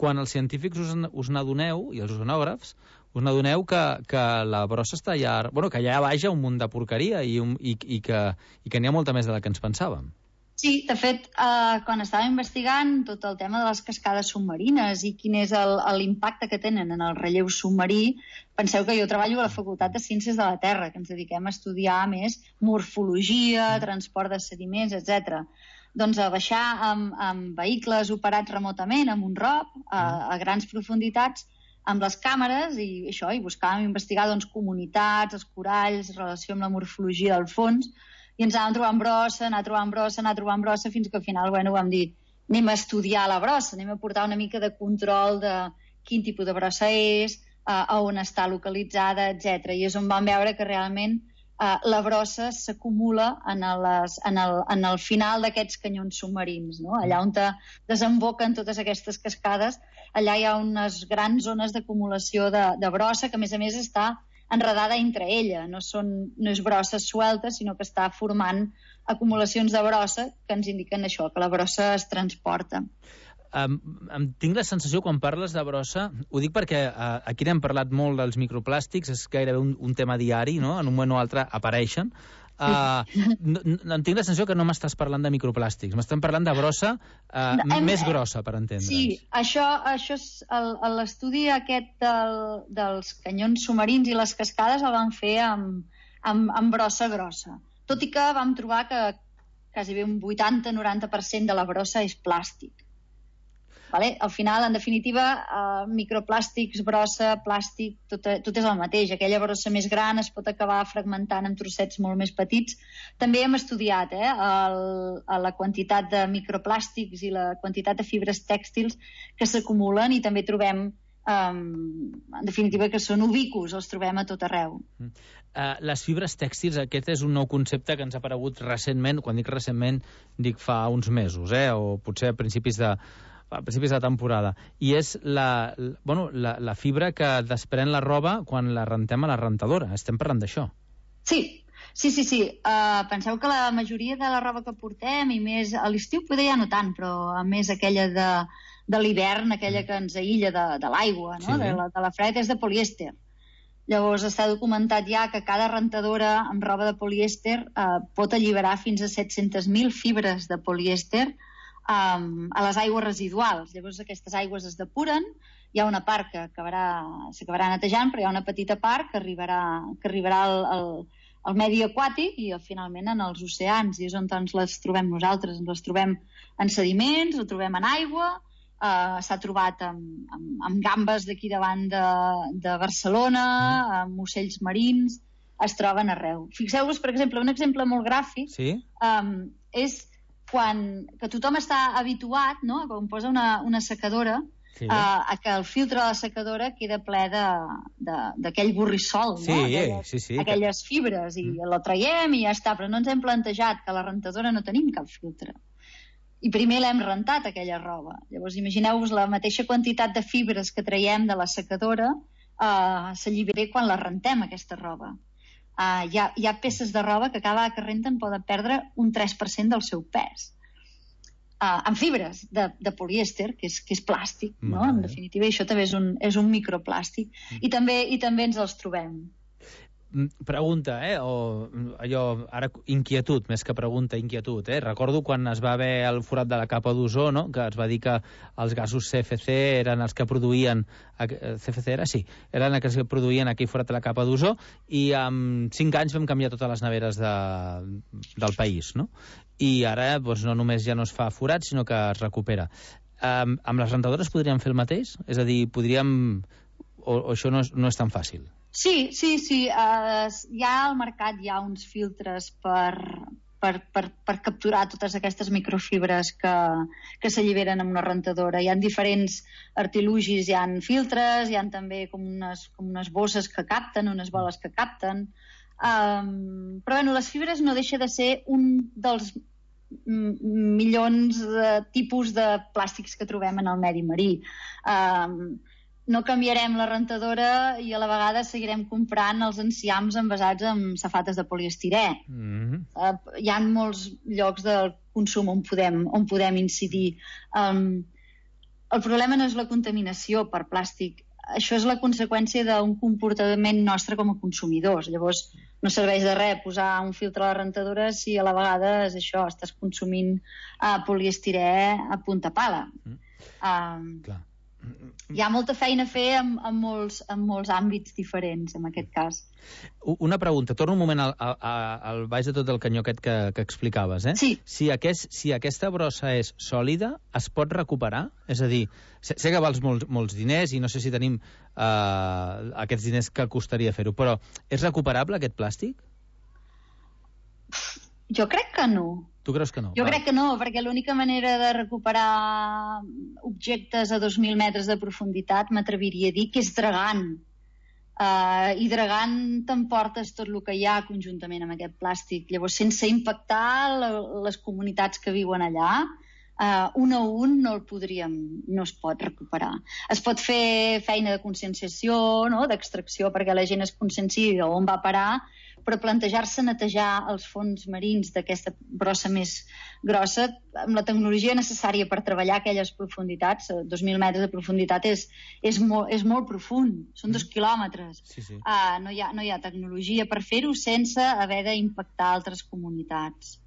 Speaker 8: quan els científics us, us n'adoneu, i els oceanògrafs, us n'adoneu que, que la brossa està allà... Bueno, que allà baix hi ha un munt de porqueria i, un, i, i que, i que n'hi ha molta més de la que ens pensàvem.
Speaker 18: Sí, de fet, eh, quan estava investigant tot el tema de les cascades submarines i quin és l'impacte que tenen en el relleu submarí, penseu que jo treballo a la Facultat de Ciències de la Terra, que ens dediquem a estudiar més morfologia, transport de sediments, etcètera. Doncs a baixar amb, amb vehicles operats remotament, amb un R O P, a, a grans profunditats, amb les càmeres i això, i buscàvem investigar doncs, comunitats, els coralls, relació amb la morfologia del fons, i ens anàvem trobant brossa, anar trobant brossa, anar trobant brossa, fins que al final bueno, vam dir anem a estudiar la brossa, anem a portar una mica de control de quin tipus de brossa és, uh, a on està localitzada, etcètera. I és on vam veure que realment uh, la brossa s'acumula en, les, en, el, en el final d'aquests canyons submarins, no? Allà on desemboquen totes aquestes cascades, allà hi ha unes grans zones d'acumulació de, de brossa que a més a més està enredada entre ella, no, són, no és brossa suelta, sinó que està formant acumulacions de brossa que ens indiquen això, que la brossa es transporta.
Speaker 8: Um, um, tinc la sensació, quan parles de brossa, ho dic perquè uh, aquí n'hem parlat molt dels microplàstics, és gairebé un, un tema diari, no? En un moment o altre apareixen. Uh, no, no, tinc la sensació que no m'estàs parlant de microplàstics, m'estem parlant de brossa uh, no, hem, més grossa, per entendre'ns.
Speaker 18: Sí, això, això és l'estudi aquest del, dels canyons submarins i les cascades el van fer amb, amb, amb brossa grossa. Tot i que vam trobar que quasi bé un vuitanta a noranta per cent de la brossa és plàstic. Vale? Al final, en definitiva, eh, microplàstics, brossa, plàstic, tot, tot és el mateix. Aquella brossa més gran es pot acabar fragmentant en trossets molt més petits. També hem estudiat eh, el, la quantitat de microplàstics i la quantitat de fibres tèxtils que s'acumulen i també trobem, eh, en definitiva, que són ubicus, els trobem a tot arreu.
Speaker 8: Uh, les fibres tèxtils, aquest és un nou concepte que ens ha aparegut recentment, quan dic recentment, dic fa uns mesos, eh, o potser a principis de a principis de temporada, i és la, bueno, la, la fibra que desprèn la roba quan la rentem a la rentadora. Estem parlant d'això.
Speaker 18: Sí, sí, sí. sí. Uh, penseu que la majoria de la roba que portem, i més a l'estiu poder ja no tant, però a més aquella de, de l'hivern, aquella que ens aïlla de, de l'aigua, no? Sí. de, la, de la fred, és de polièster. Llavors està documentat ja que cada rentadora amb roba de polièster uh, pot alliberar fins a set-centes mil fibres de polièster Um, a les aigües residuals. Llavors aquestes aigües es depuren, hi ha una part que s'acabarà netejant, però hi ha una petita part que arribarà, que arribarà al, al, al medi aquàtic i finalment en els oceans, i és on ens les trobem nosaltres. Ens les trobem en sediments, ho trobem en aigua, uh, s'ha trobat amb, amb, amb gambes d'aquí davant de, de Barcelona, amb ocells marins, es troben arreu. Fixeu-vos, per exemple, un exemple molt gràfic,
Speaker 8: sí?
Speaker 18: um, és quan que tothom està habituat, no?, quan posa una, una secadora, sí. a, a que el filtre de la secadora queda ple d'aquell borrissol,
Speaker 8: sí,
Speaker 18: no? Aquelles,
Speaker 8: sí, sí,
Speaker 18: aquelles fibres, i mm. la traiem i ja està, però no ens hem plantejat que a la rentadora no tenim cap filtre. I primer l'hem rentat, aquella roba. Llavors, imagineu-vos la mateixa quantitat de fibres que traiem de la secadora eh, s'allibera quan la rentem, aquesta roba. Uh, hi, ha, hi ha peces de roba que cada que renten poden perdre un tres per cent del seu pes. Uh, amb fibres de, de polièster, que és, que és plàstic, no? En definitiva, això també és un, és un microplàstic. Mm. I, també, I també ens els trobem.
Speaker 8: Pregunta, eh? O allò, ara inquietud, més que pregunta, inquietud, eh? Recordo quan es va haver el forat de la capa d'ozó, no?, que es va dir que els gasos C F C eren els que produïen... C F C era? Sí. Eren els que produïen aquell forat de la capa d'ozó, i en cinc anys vam canviar totes les neveres de, del país, no? I ara doncs, no només ja no es fa forat, sinó que es recupera. Um, amb les rentadores podríem fer el mateix? És a dir, podríem... O, o això no és, no és tan fàcil?
Speaker 18: Sí, sí, sí. Uh, hi ha al mercat hi ha uns filtres per, per, per, per capturar totes aquestes microfibres que, que s'alliberen amb una rentadora. Hi ha diferents artilugis, hi ha filtres, hi ha també com unes, com unes bosses que capten, unes boles que capten. Um, però bueno, les fibres no deixa de ser un dels milions de tipus de plàstics que trobem en el medi marí. Um, no canviarem la rentadora i a la vegada seguirem comprant els enciams envasats amb safates de poliestirè. Mm-hmm. uh, hi ha molts llocs del consum on podem, on podem incidir. Um, el problema no és la contaminació per plàstic. això és la conseqüència d'un comportament nostre com a consumidors. Llavors, no serveix de res posar un filtre a la rentadora si a la vegada és això, estàs consumint uh, poliestirè a punta pala. Mm. Uh, hi ha molta feina a fer en, en, molts, en molts àmbits diferents, en aquest cas.
Speaker 8: Una pregunta, torno un moment al, al, al baix de tot el canyó aquest que, que explicaves, eh?
Speaker 18: Sí.
Speaker 8: Si, aquest, si aquesta brossa és sòlida, es pot recuperar? És a dir, sé, sé que vals molts, molts diners i no sé si tenim eh, aquests diners que costaria fer-ho, però és recuperable aquest plàstic?
Speaker 18: Jo crec que no.
Speaker 8: Tu creus que no?
Speaker 18: Jo
Speaker 8: Va.
Speaker 18: crec que no, perquè l'única manera de recuperar objectes a dos mil metres de profunditat m'atreviria a dir que és dregant. Uh, i dregant t'emportes tot el que hi ha conjuntament amb aquest plàstic. Llavors, sense impactar la, les comunitats que viuen allà, uh, un a un no el podríem, no es pot recuperar. Es pot fer feina de conscienciació, no?, d'extracció, perquè la gent es conscienciï on va parar, però plantejar-se netejar els fons marins d'aquesta brossa més grossa, amb la tecnologia necessària per treballar aquelles profunditats, dos mil metres de profunditat és, és, molt, és molt profund, són dos quilòmetres.
Speaker 8: Sí, sí.
Speaker 18: Uh, no, hi ha, no hi ha tecnologia per fer-ho sense haver d'impactar altres comunitats.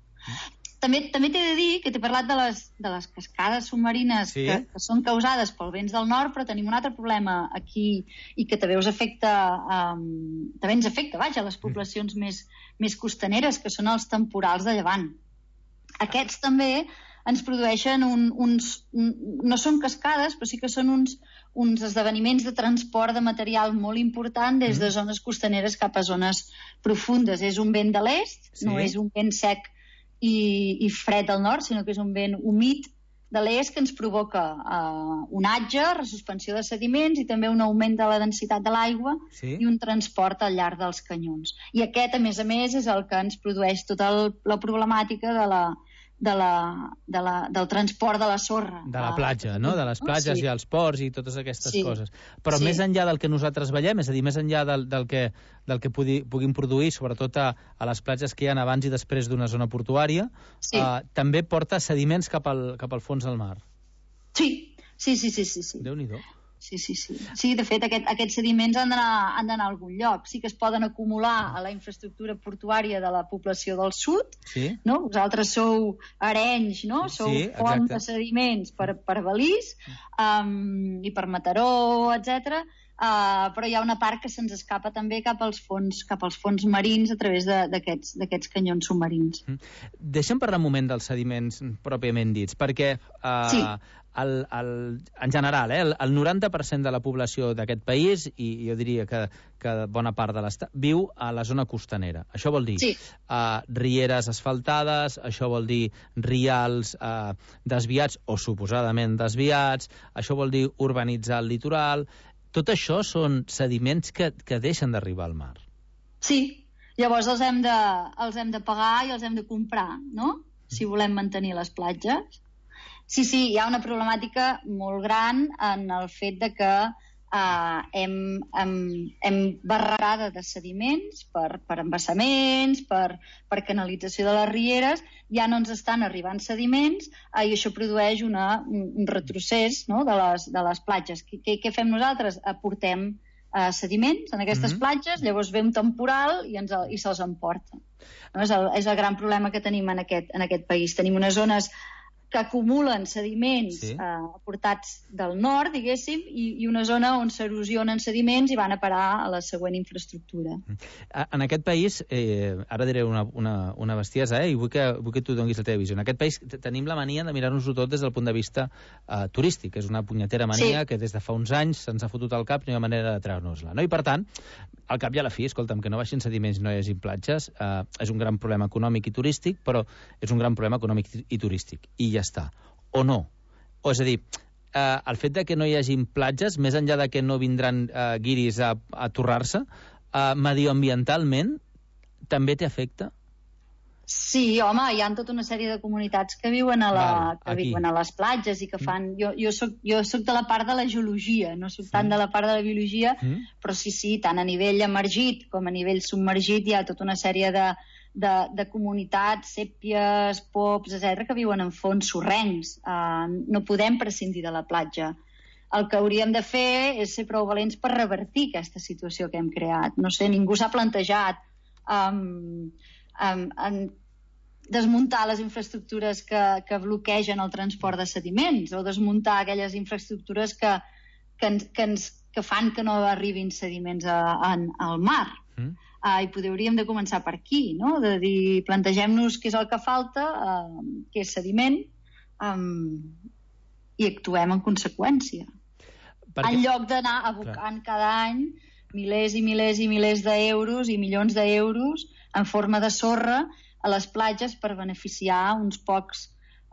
Speaker 18: També també t'he de dir que t'he parlat de les, de les cascades submarines, sí, que, que són causades pels vents del nord, però tenim un altre problema aquí i que també us afecta, um, també ens afecta, vaja, les poblacions mm. més, més costaneres, que són els temporals de llevant. Aquests també ens produeixen un, uns... Un, no són cascades, però sí que són uns, uns esdeveniments de transport de material molt important des de zones costaneres cap a zones profundes. És un vent de l'est, sí. No és un vent sec i, i fred al nord, sinó que és un vent humit de l'est que ens provoca uh, onatge, resuspensió de sediments i també un augment de la densitat de l'aigua, sí. I un transport al llarg dels canyons. I aquest, a més a més, és el que ens produeix tota el, la problemàtica de la, de la, de la, del transport de la sorra.
Speaker 8: De la platja, no? De les platges sí. I els ports i totes aquestes
Speaker 18: sí.
Speaker 8: Coses. Però
Speaker 18: sí.
Speaker 8: Més enllà del que nosaltres veiem, és a dir, més enllà del, del que, del que pugui, puguin produir, sobretot a, a les platges que hi ha abans i després d'una zona portuària, sí. eh, també porta sediments cap al, cap al fons del mar.
Speaker 18: Sí, sí, sí, sí. sí, sí.
Speaker 8: Déu-n'hi-do.
Speaker 18: Sí, sí, sí. Sí, de fet, aquest, aquests sediments han d'anar han d'anar a algun lloc. Sí que es poden acumular a la infraestructura portuària de la població del sud, sí. No? Vosaltres sou Arenys, no? Sou sí, font de sediments per, per Balís um, i per Mataró, etcètera. Uh, però hi ha una part que se'ns escapa també cap als fons, cap als fons marins a través d'aquests d'aquests canyons submarins.
Speaker 8: Mm. Deixa'm parlar un moment dels sediments pròpiament dits, perquè uh, sí. el, el, en general, eh, el, el noranta per cent de la població d'aquest país, i jo diria que, que bona part de l'estat, viu a la zona costanera. Això vol dir sí. uh, rieres asfaltades, això vol dir rials uh, desviats o suposadament desviats, això vol dir urbanitzar el litoral. Tot això són sediments que, que deixen d'arribar al mar.
Speaker 18: Sí, llavors els hem, de, els hem de pagar i els hem de comprar, no? Si volem mantenir les platges. Sí, sí, hi ha una problemàtica molt gran en el fet de que uh, hem, hem, hem barrada de sediments per, per embassaments, per, per canalització de les rieres, ja no ens estan arribant sediments uh, i això produeix una, un, un retrocés, no?, de, les, de les platges. Què, què fem nosaltres? Aportem uh, sediments en aquestes mm-hmm. platges, llavors ve un temporal i, ens, i se'ls emporta. No? És, el, és el gran problema que tenim en aquest, en aquest país. Tenim unes zones que acumulen sediments sí. eh, aportats del nord, diguéssim, i, i una zona on s'erosionen sediments i van a parar a la següent infraestructura.
Speaker 8: En aquest país, eh, ara diré una, una, una bestiesa, eh, i vull que, vull que tu donis la teva visió. En aquest país tenim la mania de mirar-nos-ho tot des del punt de vista eh, turístic. És una punyetera mania sí. que des de fa uns anys se'ns ha fotut al cap i no hi ha manera de treure-nos-la. No? I per tant, al cap i a la fi, escolta'm, que no baixin sediments i no hi hagi platges, eh, és un gran problema econòmic i turístic, però és un gran problema econòmic i turístic. I ja està. O no. O és a dir, eh, el fet de que no hi hagi platges, més enllà de que no vindran eh, guiris a, a torrar-se, eh, medioambientalment també t'afecta?
Speaker 18: Sí, home, hi ha tota una sèrie de comunitats que viuen a, la, Val, que viuen a les platges i que fan... Jo, jo, soc, jo soc de la part de la geologia, no soc sí. tant de la part de la biologia, mm. però sí, sí, tant a nivell emergit com a nivell submergit hi ha tota una sèrie de, de, de comunitats, sèpies, pops, etcètera, que viuen en fons sorrencs. Uh, no podem prescindir de la platja. el que hauríem de fer és ser prou valents per revertir aquesta situació que hem creat. No sé, ningú s'ha plantejat um, um, um, desmuntar les infraestructures que, que bloquegen el transport de sediments o desmuntar aquelles infraestructures que, que, ens, que, ens, que fan que no arribin sediments a, a, al mar. Mm. Uh, I poder, hauríem de començar per aquí, no? De dir, plantegem-nos què és el que falta, uh, què és sediment, um, i actuem en conseqüència. Perquè... En lloc d'anar abocant Clar. cada any milers i milers i milers d'euros i milions d'euros en forma de sorra a les platges per beneficiar uns pocs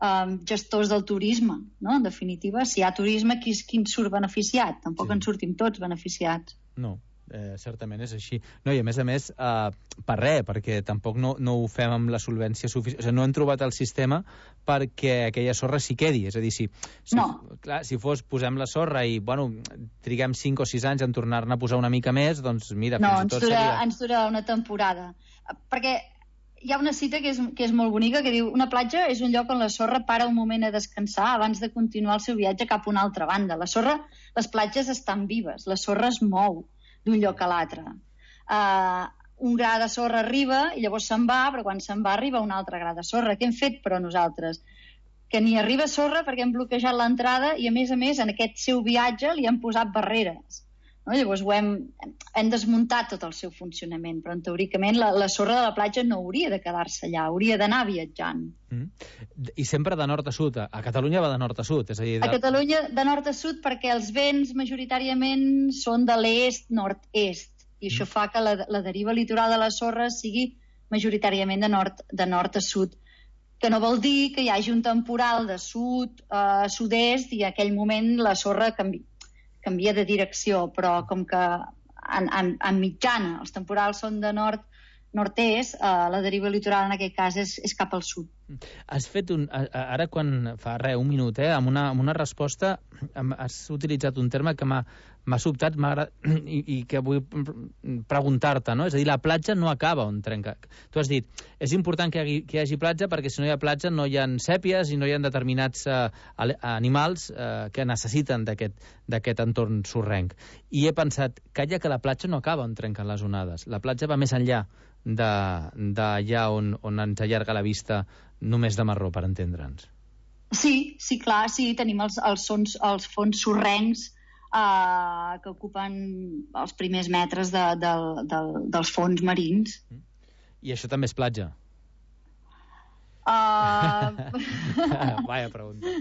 Speaker 18: um, gestors del turisme, no? En definitiva, si hi ha turisme, qui, qui en surt beneficiat? Tampoc sí. en sortim tots beneficiats.
Speaker 8: No, eh, certament és així. No, i a més a més, eh, per res, perquè tampoc no, no ho fem amb la solvència suficient. O sigui, no hem trobat el sistema perquè aquella sorra s'hi quedi. És a dir, si, si,
Speaker 18: no.
Speaker 8: clar, si fos posem la sorra i bueno, triguem cinc o sis anys en tornar-ne a posar una mica més, doncs mira,
Speaker 18: no,
Speaker 8: fins i tot
Speaker 18: dura,
Speaker 8: seria...
Speaker 18: ens dura una temporada. Perquè hi ha una cita que és, que és molt bonica que diu: una platja és un lloc on la sorra para un moment a descansar abans de continuar el seu viatge cap a una altra banda. La sorra, les platges estan vives, la sorra es mou d'un lloc a l'altre. Uh, un gra de sorra arriba i llavors se'n va, però quan se'n va arriba un altre gra de sorra. Què hem fet, però, nosaltres? Que ni arriba sorra perquè hem bloquejat l'entrada i, a més a més, en aquest seu viatge li hem posat barreres. No? Llavors ho hem, hem desmuntat tot el seu funcionament, però teòricament la, la sorra de la platja no hauria de quedar-se allà, hauria d'anar viatjant.
Speaker 8: Mm. I sempre de nord a sud. A Catalunya va de nord a sud. És a dir, de...
Speaker 18: A Catalunya de nord a sud perquè els vents majoritàriament són de l'est-nord-est i això mm. fa que la, la deriva litoral de la sorra sigui majoritàriament de nord, de nord a sud, que no vol dir que hi hagi un temporal de sud a sud-est i en aquell moment la sorra canvia. canvia de direcció, però com que en, en, en mitjana els temporals són de nord nord-est, eh, la deriva litoral en aquest cas és, és cap al sud.
Speaker 8: Has fet un... Ara quan fa res, un minut, eh, amb una, amb una resposta has utilitzat un terme que m'ha sobtat i, i que vull preguntar-te, no? És a dir, la platja no acaba on trenca. Tu has dit, és important que hi hagi, que hi hagi platja perquè si no hi ha platja no hi ha sèpies i no hi ha determinats uh, animals uh, que necessiten d'aquest entorn sorrenc. I he pensat, calla que la platja no acaba on trenquen les onades. La platja va més enllà d'allà on, on ens allarga la vista només de marró, per entendre'ns.
Speaker 18: Sí, sí, clar, sí, tenim els, els, sons, els fons sorrencs eh, que ocupen els primers metres de, de, de, dels fons marins.
Speaker 8: I això també és platja?
Speaker 18: Uh...
Speaker 8: Vaya pregunta.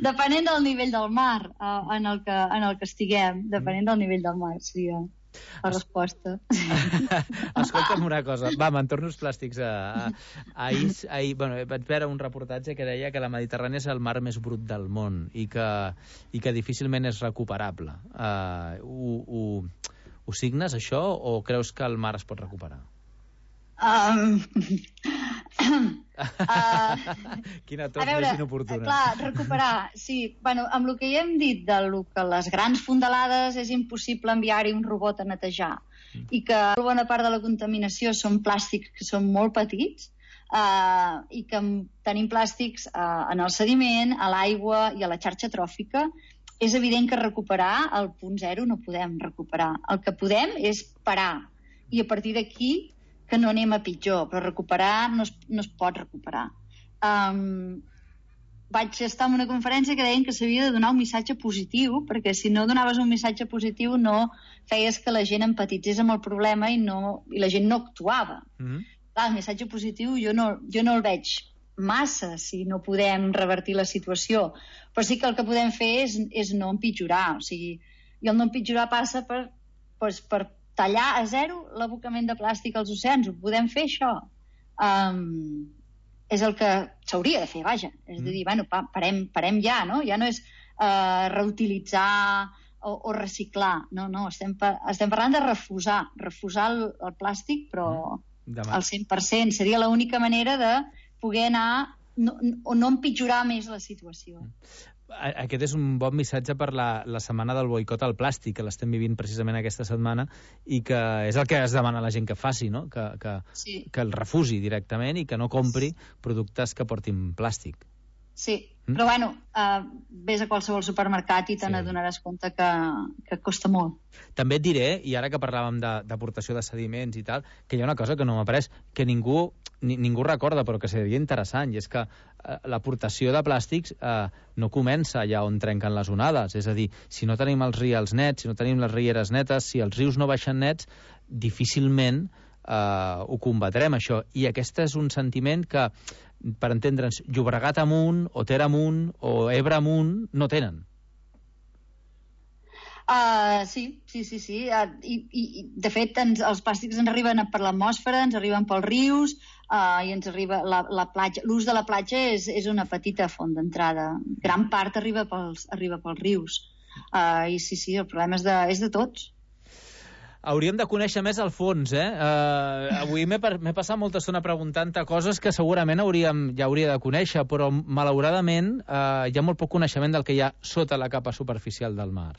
Speaker 18: Depenent del nivell del mar uh, en, el que, en el que estiguem, depenent del nivell del mar, seria la resposta.
Speaker 8: Escolta'm una cosa, va, me'n torno als plàstics. A, a, ahir, ahir, bueno, vaig veure un reportatge que deia que la Mediterrània és el mar més brut del món i que, i que difícilment és recuperable. Uh, ho, ho, ho signes, això, o creus que el mar es pot recuperar?
Speaker 18: Um... uh,
Speaker 8: Quina tos més inoportuna.
Speaker 18: Clar, recuperar, sí. Bueno, amb el que ja hem dit de lo que les grans fondalades és impossible enviar-hi un robot a netejar mm. i que bona part de la contaminació són plàstics que són molt petits uh, i que tenim plàstics uh, en el sediment, a l'aigua i a la xarxa tròfica, és evident que recuperar el punt zero no podem recuperar. El que podem és parar i a partir d'aquí que no anem a pitjor, però recuperar no es, no es pot recuperar. Um, vaig estar en una conferència que deien que s'havia de donar un missatge positiu, perquè si no donaves un missatge positiu no feies que la gent empatitzés amb el problema i, no, i la gent no actuava. Mm-hmm. Clar, el missatge positiu jo no, jo no el veig massa si no podem revertir la situació, però sí que el que podem fer és, és no empitjorar. O sigui, i el no empitjorar passa per, pues, per tallar a zero l'abocament de plàstic als oceans. Ho podem fer, això? Um, és el que s'hauria de fer, vaja. És de dir, bueno, pa, parem, parem ja, no? Ja no és uh, reutilitzar o, o reciclar. No, no, estem, pa, estem parlant de refusar. Refusar el, el plàstic, però Demà. al cent per cent. Seria l'única manera de poder anar no, o no empitjorar més la situació.
Speaker 8: Aquest és un bon missatge per la, la setmana del boicot al plàstic, que l'estem vivint precisament aquesta setmana, i que és el que es demana a la gent que faci, no? Que, que,
Speaker 18: sí.
Speaker 8: que el refusi directament i que no compri productes que portin plàstic.
Speaker 18: Sí, Mm. Però bueno, uh, ves a qualsevol supermercat i te sí. n'adonaràs compte que, que costa molt.
Speaker 8: També et diré, i ara que parlàvem d'aportació de, de sediments i tal, que hi ha una cosa que no m'ha après, que ningú, ni, ningú recorda, però que seria interessant, i és que eh, l'aportació de plàstics eh, no comença allà on trenquen les onades. És a dir, si no tenim els rials nets, si no tenim les rieres netes, si els rius no baixen nets, difícilment eh, ho combatrem, això. I aquest és un sentiment que, per entendre'ns, Llobregat amunt, o Ter amunt, o Ebre amunt, no tenen.
Speaker 18: Uh, sí, sí, sí, sí. Uh, i, i, de fet, ens, els plàstics ens arriben per l'atmosfera, ens arriben pels rius, uh, i ens arriba la, la platja. L'ús de la platja és, és una petita font d'entrada. Gran part arriba pels, arriba pels rius. Uh, I sí, sí, el problema és de, és de tots.
Speaker 8: Hauríem de conèixer més al fons, eh? Uh, avui m'he passat molta estona preguntant-te coses que segurament hauríem, ja hauria de conèixer, però malauradament uh, hi ha molt poc coneixement del que hi ha sota la capa superficial del mar.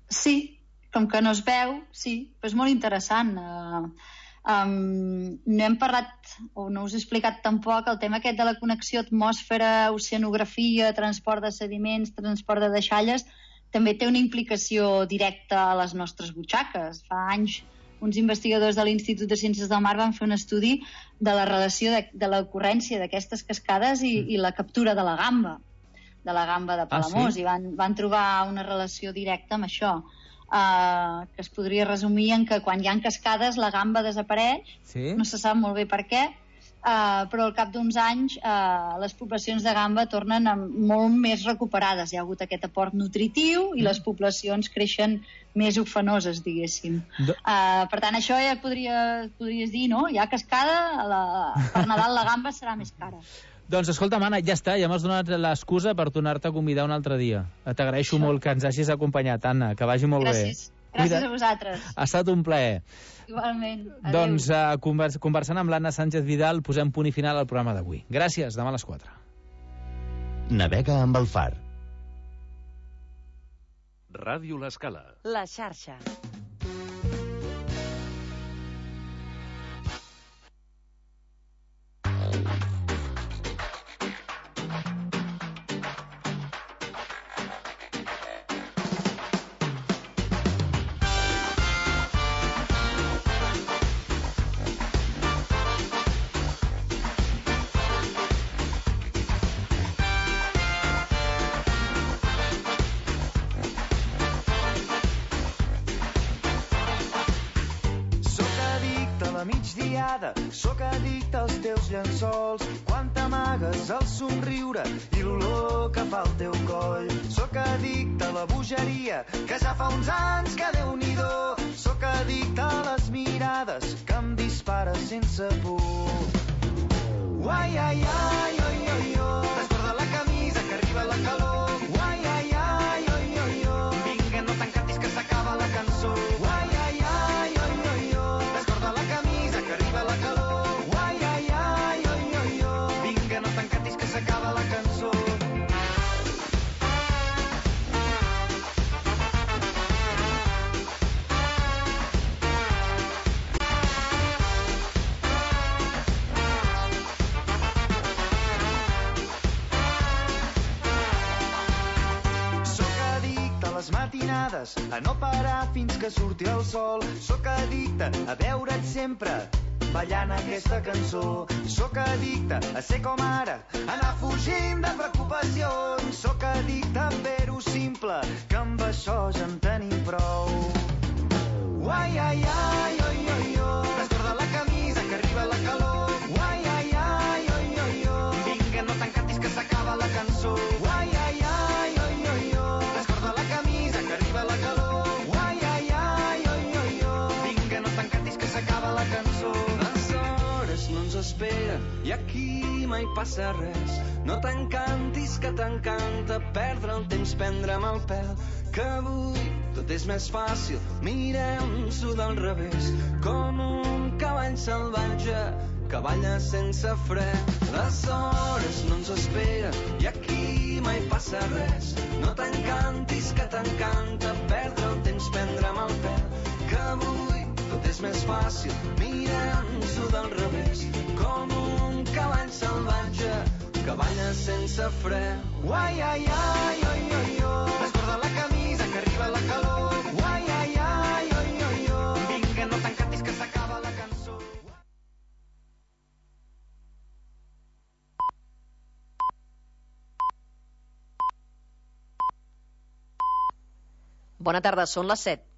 Speaker 18: Sí, com que no es veu, sí, però és molt interessant. Uh, um, no hem parlat, o no us he explicat tampoc, el tema aquest de la connexió atmosfera, oceanografia, transport de sediments, transport de deixalles, també té una implicació directa a les nostres butxaques. Fa anys uns investigadors de l'Institut de Ciències del Mar van fer un estudi de la relació de, de l'ocurrència d'aquestes cascades i, i la captura de la gamba, de la gamba de Palamós, ah, sí? I van, van trobar una relació directa amb això, uh, que es podria resumir en que quan hi ha cascades la gamba desapareix, sí? No se sap molt bé per què, Uh, però al cap d'uns anys uh, les poblacions de gamba tornen molt més recuperades. Hi ha hagut aquest aport nutritiu i les poblacions creixen més ufanoses, diguéssim. Uh, per tant, això ja podria, podries dir, no? Hi ha cascada, la, per Nadal la gamba serà més cara.
Speaker 8: Doncs escolta, Anna, ja està, ja m'has donat l'excusa per tornar-te a convidar un altre dia. T'agraeixo molt que ens hagis acompanyat, Anna, que vagi molt
Speaker 18: Gràcies. bé. Gràcies a vosaltres.
Speaker 8: Ha estat un plaer.
Speaker 18: Igualment. Adéu.
Speaker 8: Doncs uh, convers conversant amb l'Anna Sánchez Vidal posem punt i final al programa d'avui. Gràcies, demà a les quatre.
Speaker 7: Navega amb el far.
Speaker 14: Ràdio L'Escala.
Speaker 1: La xarxa.
Speaker 19: Sóc addicte als teus llençols, quan t'amagues el somriure i l'olor que fa al teu coll. Sóc addicte a la bogeria, que ja fa uns anys que Déu-n'hi-do. Sóc addicte a les mirades que em dispara sense por. Uai, ai, ai, oi, oi, oi, desborda la camisa que arriba la calor. Uai, ai, ai, oi, oi, oi, vinga, no t'encantis que s'acaba la cançó. Uai, ai, ai, oi, oi, oi, desborda la camisa que arriba la calor. Uai, ai, ai, oi, oi, oi, vinga, no t'encantis que s'acaba la cançó. Matinades, a no parar fins que surti el sol. Sóc addicte a veure't sempre ballant aquesta cançó. Sóc addicte a ser com ara, anar fugint de preocupacions. Sóc addicte a fer-ho simple, que amb això ja en tenim prou. Uai, ai, ai, oi, oi, oi, desborda la camisa que arriba la calor. Uai, ai, ai, oi, oi, oi, vinga, no t'encantis que s'acaba la cançó. Uai, ai, ai, oi, oi, oi, desborda la camisa que arriba la calor. Uai, ai, ai, oi, oi, oi, vinga, no t'encantis que s'acaba la cançó.
Speaker 17: Les hores no ens esperen i aquí mai passa res. No t'encantis que t'encanta perdre el temps, prendre'm el pèl, que avui tot és més fàcil, mirem-s'ho del revés, com un cavall salvatge que balla sense fre. Les hores no ens esperen i aquí mai passa res. No t'encantis que t'encanta perdre el temps, prendre'm el pèl, que avui tot és més fàcil, mirem-s'ho del revés, com un cavall salvatge que que balla sense fre. Uai, ai, ai, oi, oi, oi. Descorda la camisa que arriba la calor. Uai, ai, ai, oi, oi, oi. Vinga, no t'encantis que s'acaba la cançó.
Speaker 20: Bona tarda, són les set.